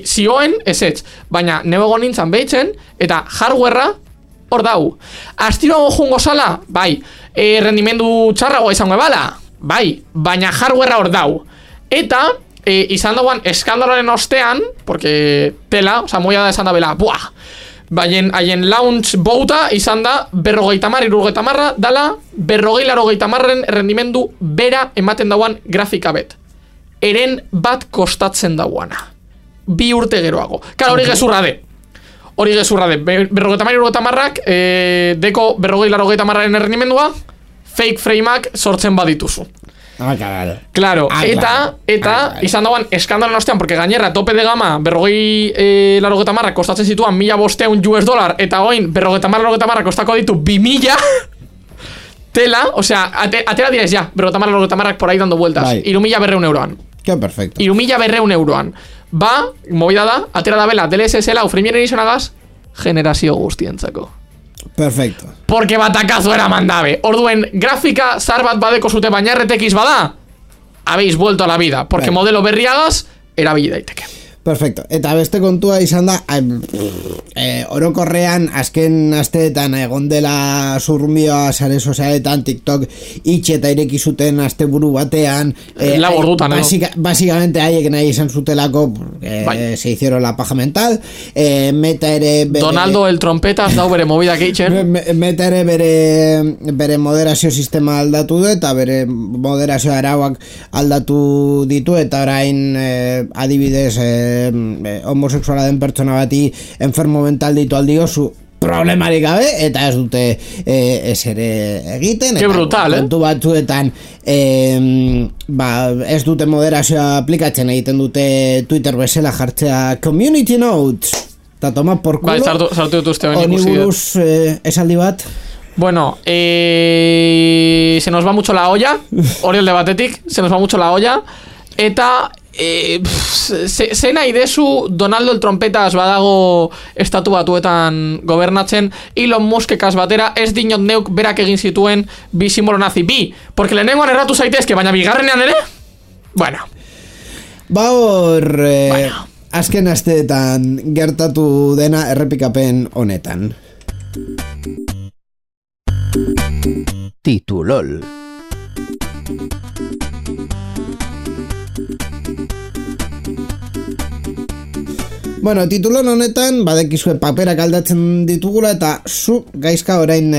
[SPEAKER 3] zioen ezetz, baina nebego nintzen behitzen, eta hardwarea hor dau. Astiro jungo zala? Bai. Rendimendu txarragoa izango ebala? Bai. Baina hardwarea hor dau. Eta izan dagoan eskandaloaren ostean, porque tela, oza, moia da esan da bela, haien launch bouta izan da 50-60 dala 40-80 rendimendu bera ematen dauan grafika bet. Eren bat kostatzen dauana. 2 urte geroago. Kara, hori gezurra de. 50-80ak deko 40-80aren rendimendua fake frameak sortzen badituzu. Claro, eta izan dagoan eskandalen ostean, porque gainera tope de gama 40-80 kostatzen zituan $1,500 eta oin 50-80 kostako ditu 2.000 tela, osea, atera direz ja 50-80 por ahí dando vueltas, 3.200 euroan.
[SPEAKER 1] Que perfecto.
[SPEAKER 3] 3.200 euroan. Ba, movida da, atera da bela DLSS lau frame generation agaz, generazio guztientzako.
[SPEAKER 1] Perfecto.
[SPEAKER 3] Porque batakazo era mandabe. Orduen, grafika zar bat badeko zute baina RTX bada, habéis vuelto a la vida. Porque modelo berriagaz, erabili daiteke.
[SPEAKER 1] Perfecto. Eta beste kontua izan da, orokorrean azken asteetan egon dela zurrumioa sare sozialetan, TikTok itxe eta ireki zuten asteburu batean.
[SPEAKER 3] Lau ordutan,
[SPEAKER 1] Básicamente haiek nahi izan zutelako, se hicieron la paja mental. Meta ere...
[SPEAKER 3] Donaldo el trompetas dau bere movida keitzen.
[SPEAKER 1] Meta ere bere moderazio sistema aldatu du, eta bere moderazio arauak aldatu ditu, eta orain adibidez homosexuala den pertsona bati enfermo mental ditu aldiozu problemarik gabe, eta ez dute ez ere egiten.
[SPEAKER 3] Ke brutal,
[SPEAKER 1] kontu batzuetan ez dute moderazioa aplikatzen, egiten dute Twitter bezala jartzea community notes, eta toma por culo.
[SPEAKER 3] Sartu dut uste
[SPEAKER 1] honi buruz esaldi bat.
[SPEAKER 3] Bueno, se nos va mucho la olla, hori alde batetik, se nos va mucho la olla, eta ze nahi dezu Donaldo el trompetas badago estatu batuetan gobernatzen, Elon Muskekaz batera ez dinot neuk berak egin zituen bi simbolo nazi, porque lehenengoan erratu zaitezke, baina bigarrenean ere, bueno.
[SPEAKER 1] Hor, azken asteetan gertatu dena errepikapen honetan.
[SPEAKER 2] Titulol.
[SPEAKER 1] Bueno, titulon honetan badekizue paperak aldatzen ditugula, eta zu gaizka orain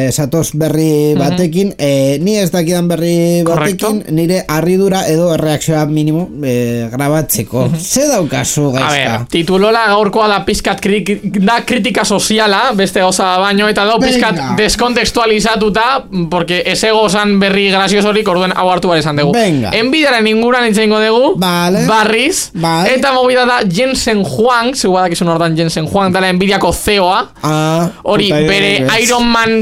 [SPEAKER 1] satoz berri batekin, ni ez dakidan berri batekin, nire harridura edo erreakzioa minimo grabatzeko. Ze daukazu gaizka?
[SPEAKER 3] A ver, titulola gaurkoa da pizkat da kritika soziala, beste goza baino, eta da pizkat deskontekstualizatuta, porque ese gozan berri graziosorik orduen hau hartu bar esan dugu. Enbidaren inguran itxengo dugu, barriz, eta movida da Jensen Juan, zeu badakizun hortan Jensen Juan, dala Nvidiako CEO-a, hori bere Iron Man,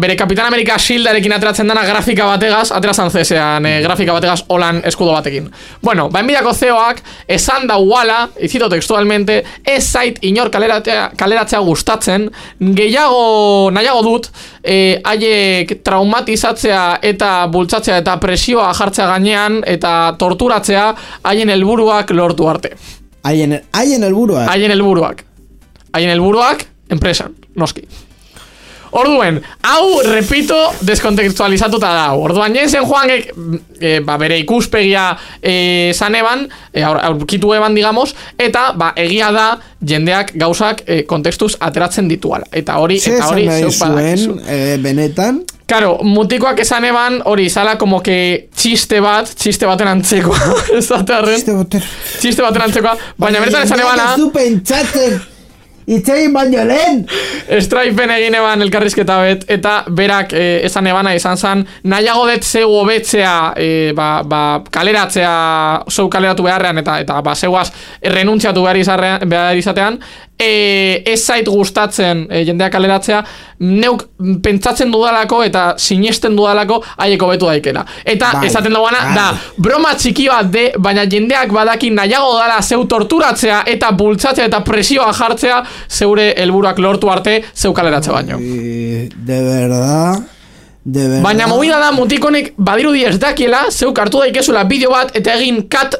[SPEAKER 3] bere Kapitan Amerika Shieldarekin ateratzen dana grafika bategaz, aterazan CSean grafika bategaz holan eskudo batekin. Bueno, Nvidiako CEO-ak esan da uala, izito textualmente, ez zait inor kaleratzea gustatzen, nahiago dut, haiek traumatizatzea eta bultzatzea eta presioa jartzea gainean eta torturatzea haien helburuak lortu arte.
[SPEAKER 1] Haien helburuak?
[SPEAKER 3] Haien helburuak, enpresan, noski. Orduen, hau, repito, deskontekstualizatuta da. Orduan, Jensen Juanek bere ikuspegia zaneban, aurkitu eban, digamos, eta egia da jendeak gauzak kontekstuz ateratzen dituala. Eta hori
[SPEAKER 1] zeu zuen, benetan?
[SPEAKER 3] Claro, mutikoak esan eban, hori, zala como que txiste baten antzekoa. Txiste baten antzekoa, baina bertan esan ebana...
[SPEAKER 1] Ez du pentsatzen, itxegin baino lehen!
[SPEAKER 3] Stripen egin eban elkarrizketa bet, eta berak esan ebana izan zan, nahiago dut zeu hobetzea, kaleratzea, zeu kaleratu beharrean, eta zeuaz renuntziatu behar izatean, ez zait gustatzen jendeak kaleratzea, neuk pentsatzen dudalako eta sinesten dudalako haieko betu daikela. Eta esaten dagoana da, broma txiki bat de, baina jendeak badakin nahiago dala zeu torturatzea eta bultzatzea eta presioa jartzea zeure helburuak lortu arte zeu kaleratzea baino.
[SPEAKER 1] De verdad...
[SPEAKER 3] Baina movida da mutikonek badirudi ez dakiela, zeuk hartu daikezula bideo bat eta egin kat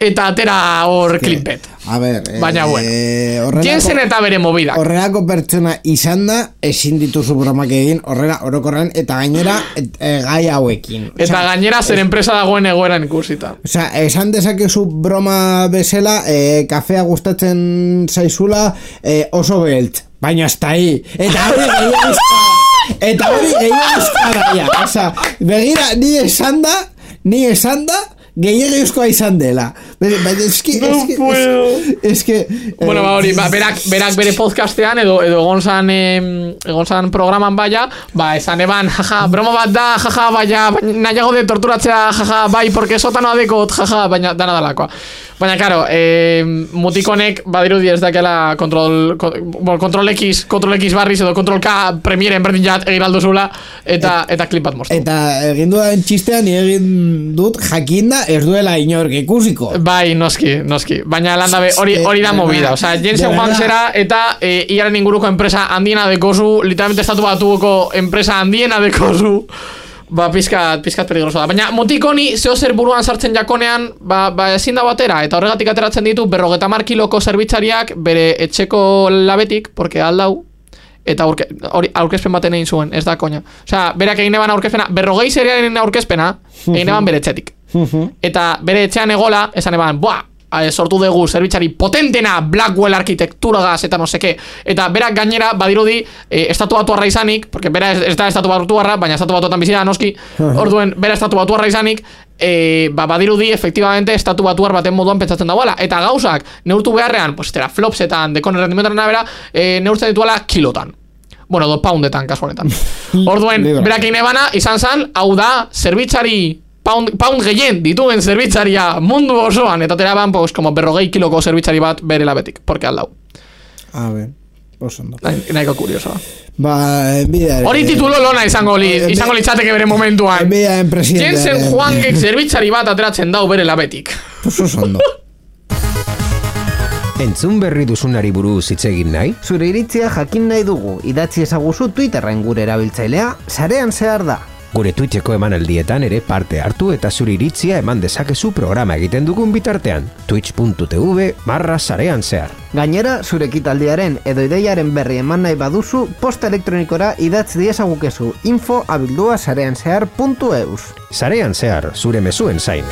[SPEAKER 3] eta atera hor klipet.
[SPEAKER 1] A ver,
[SPEAKER 3] baina bueno, Jensen eta bere movida.
[SPEAKER 1] Horrelako pertsona izan da, ezin dituzu bromak egin, horrela orokorren eta gainera gai hauekin.
[SPEAKER 3] Eta gainera zer enpresa dagoen egoeran ikusita.
[SPEAKER 1] Osea, esan dezakezu broma bezala, kafea gustatzen zaizula oso belt, baina hasta ahí. Eta hori gehiagizka. Eta hori gehiagizka. Osea, begira, ni esan da, gehiagizkoa izan dela. Es que
[SPEAKER 3] bueno, hori, berak bere podcastean edo egon programan baia, esan eban, jaja, broma bat da, jaja, baina nahiago de torturatzea, jaja, bai, porque sotanoa dekot, jaja, baina dana dalakoa. Baina, claro, mutikonek badirudi ez dakela kontrol X barriz edo kontrol K premieren berdin jat egin alduzula eta klip bat moztu.
[SPEAKER 1] Eta egin dudan txistean egin dut jakinda ez duela inork ikusiko.
[SPEAKER 3] Bai, noski. Baina landabe hori da movida. Osea, Jensen Juan zera eta iaren inguruko enpresa handiena dekozu, literalmente estatu batuko enpresa handiena dekozu. pizkat peligroso da. Baina motik honi, zeo zer buruan sartzen jakonean, ezin da batera, eta horregatik ateratzen ditu 50 kiloko zerbitzariak bere etxeko labetik, porque aldau, eta aurkezpen baten egin zuen, ez da koña. Osea, berak egin eban aurkezpena, 40 seriaren aurkezpena, egin eban bere etxetik. Eta bere etxean egola, esan eban, sortu dugu zerbitzari potentena Blackwell arkitekturagaz eta no seke. Eta berak gainera badirudi estatu batuarra izanik, porque bera ez da estatu batuarra, baina estatu batuetan bizida noski, orduen bera estatu batuarra izanik, badirudi efectivamente estatu batuar baten moduan pentsatzen dagoela. Eta gauzak neurtu beharrean, pues flopsetan, dekon errendimentoren abera, neurtzen dituela kilotan. Bueno, 2 poundetan, kasu honetan. Orduen, berak egin ebana, izan zan, hau da, zerbitzari pound gehien dituen zerbitzaria mundu osoan, eta teraban, pues, como 40 kiloko zerbitzari bat bere labetik, porque aldau.
[SPEAKER 1] A ver, oso ondo.
[SPEAKER 3] Nahiko kuriosoa.
[SPEAKER 1] Hori
[SPEAKER 3] titulo lona izango litzateke bere momentuan. Jensen Huangek zerbitzari bat ateratzen dau bere labetik.
[SPEAKER 1] Oso ondo.
[SPEAKER 2] Entzun berri duzunari buruz hitz egin nahi?
[SPEAKER 1] Zure iritzia jakin nahi dugu, idatzi ezaguzu Twitterren gure erabiltzailea, sarean zehar da.
[SPEAKER 2] Gure Twitcheko emanaldietan ere parte hartu eta zure iritzia eman dezakezu programa egiten dugun bitartean. twitch.tv/sarean zehar.
[SPEAKER 1] Gainera, zure ekitaldiaren edo ideiaren berri eman nahi baduzu, posta elektronikora idatz diezagukezu info@sareanzehar.eus.
[SPEAKER 2] Sarean zehar, zure mezuen zain.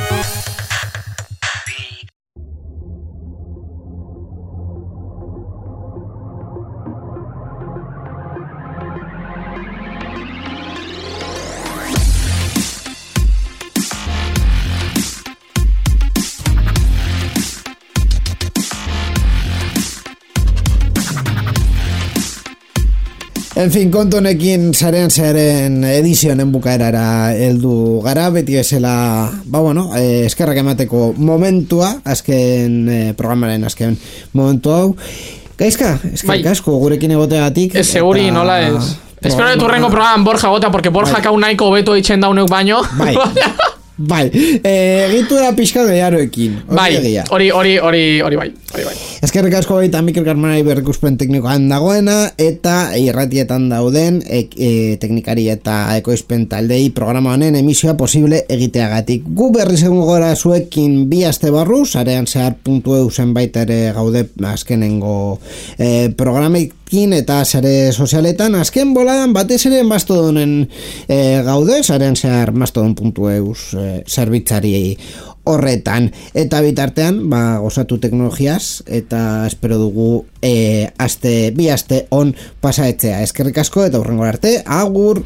[SPEAKER 1] En fin, kontu honekin sarean zearen edizionen bukaerara heldu gara, beti bezala, eskerrak emateko momentua, azken programaren azken momentu hau. Gaizka, eskerrak asko gurekin egoteagatik.
[SPEAKER 3] Ez seguri, nola ez. Espero de turrengo programan Borja gota, porque Borja kau nahiko beto itxen dauneuk baino.
[SPEAKER 1] Bai, egitu da pixka gehiaroekin.
[SPEAKER 3] Hori bai.
[SPEAKER 1] Eskerrik asko baita Mikel Karmanari berrikuspen teknikoan dagoena, eta irratietan dauden teknikari eta ekoizpen taldei programa honen emisioa posible egiteagatik. Gu berriz egun gora zuekin 2 aste barru, sareanzehar.eu zenbait ere gaude azkenengo programekin eta sare sozialetan, azken boladan batez ere Mastodonen gaude, sareanzehar mastodon.eu zerbitzari horretan, eta bitartean gozatu teknologiaz, eta espero dugu 2 aste on pasaetzea. Eskerrik asko eta hurrengo arte, agur!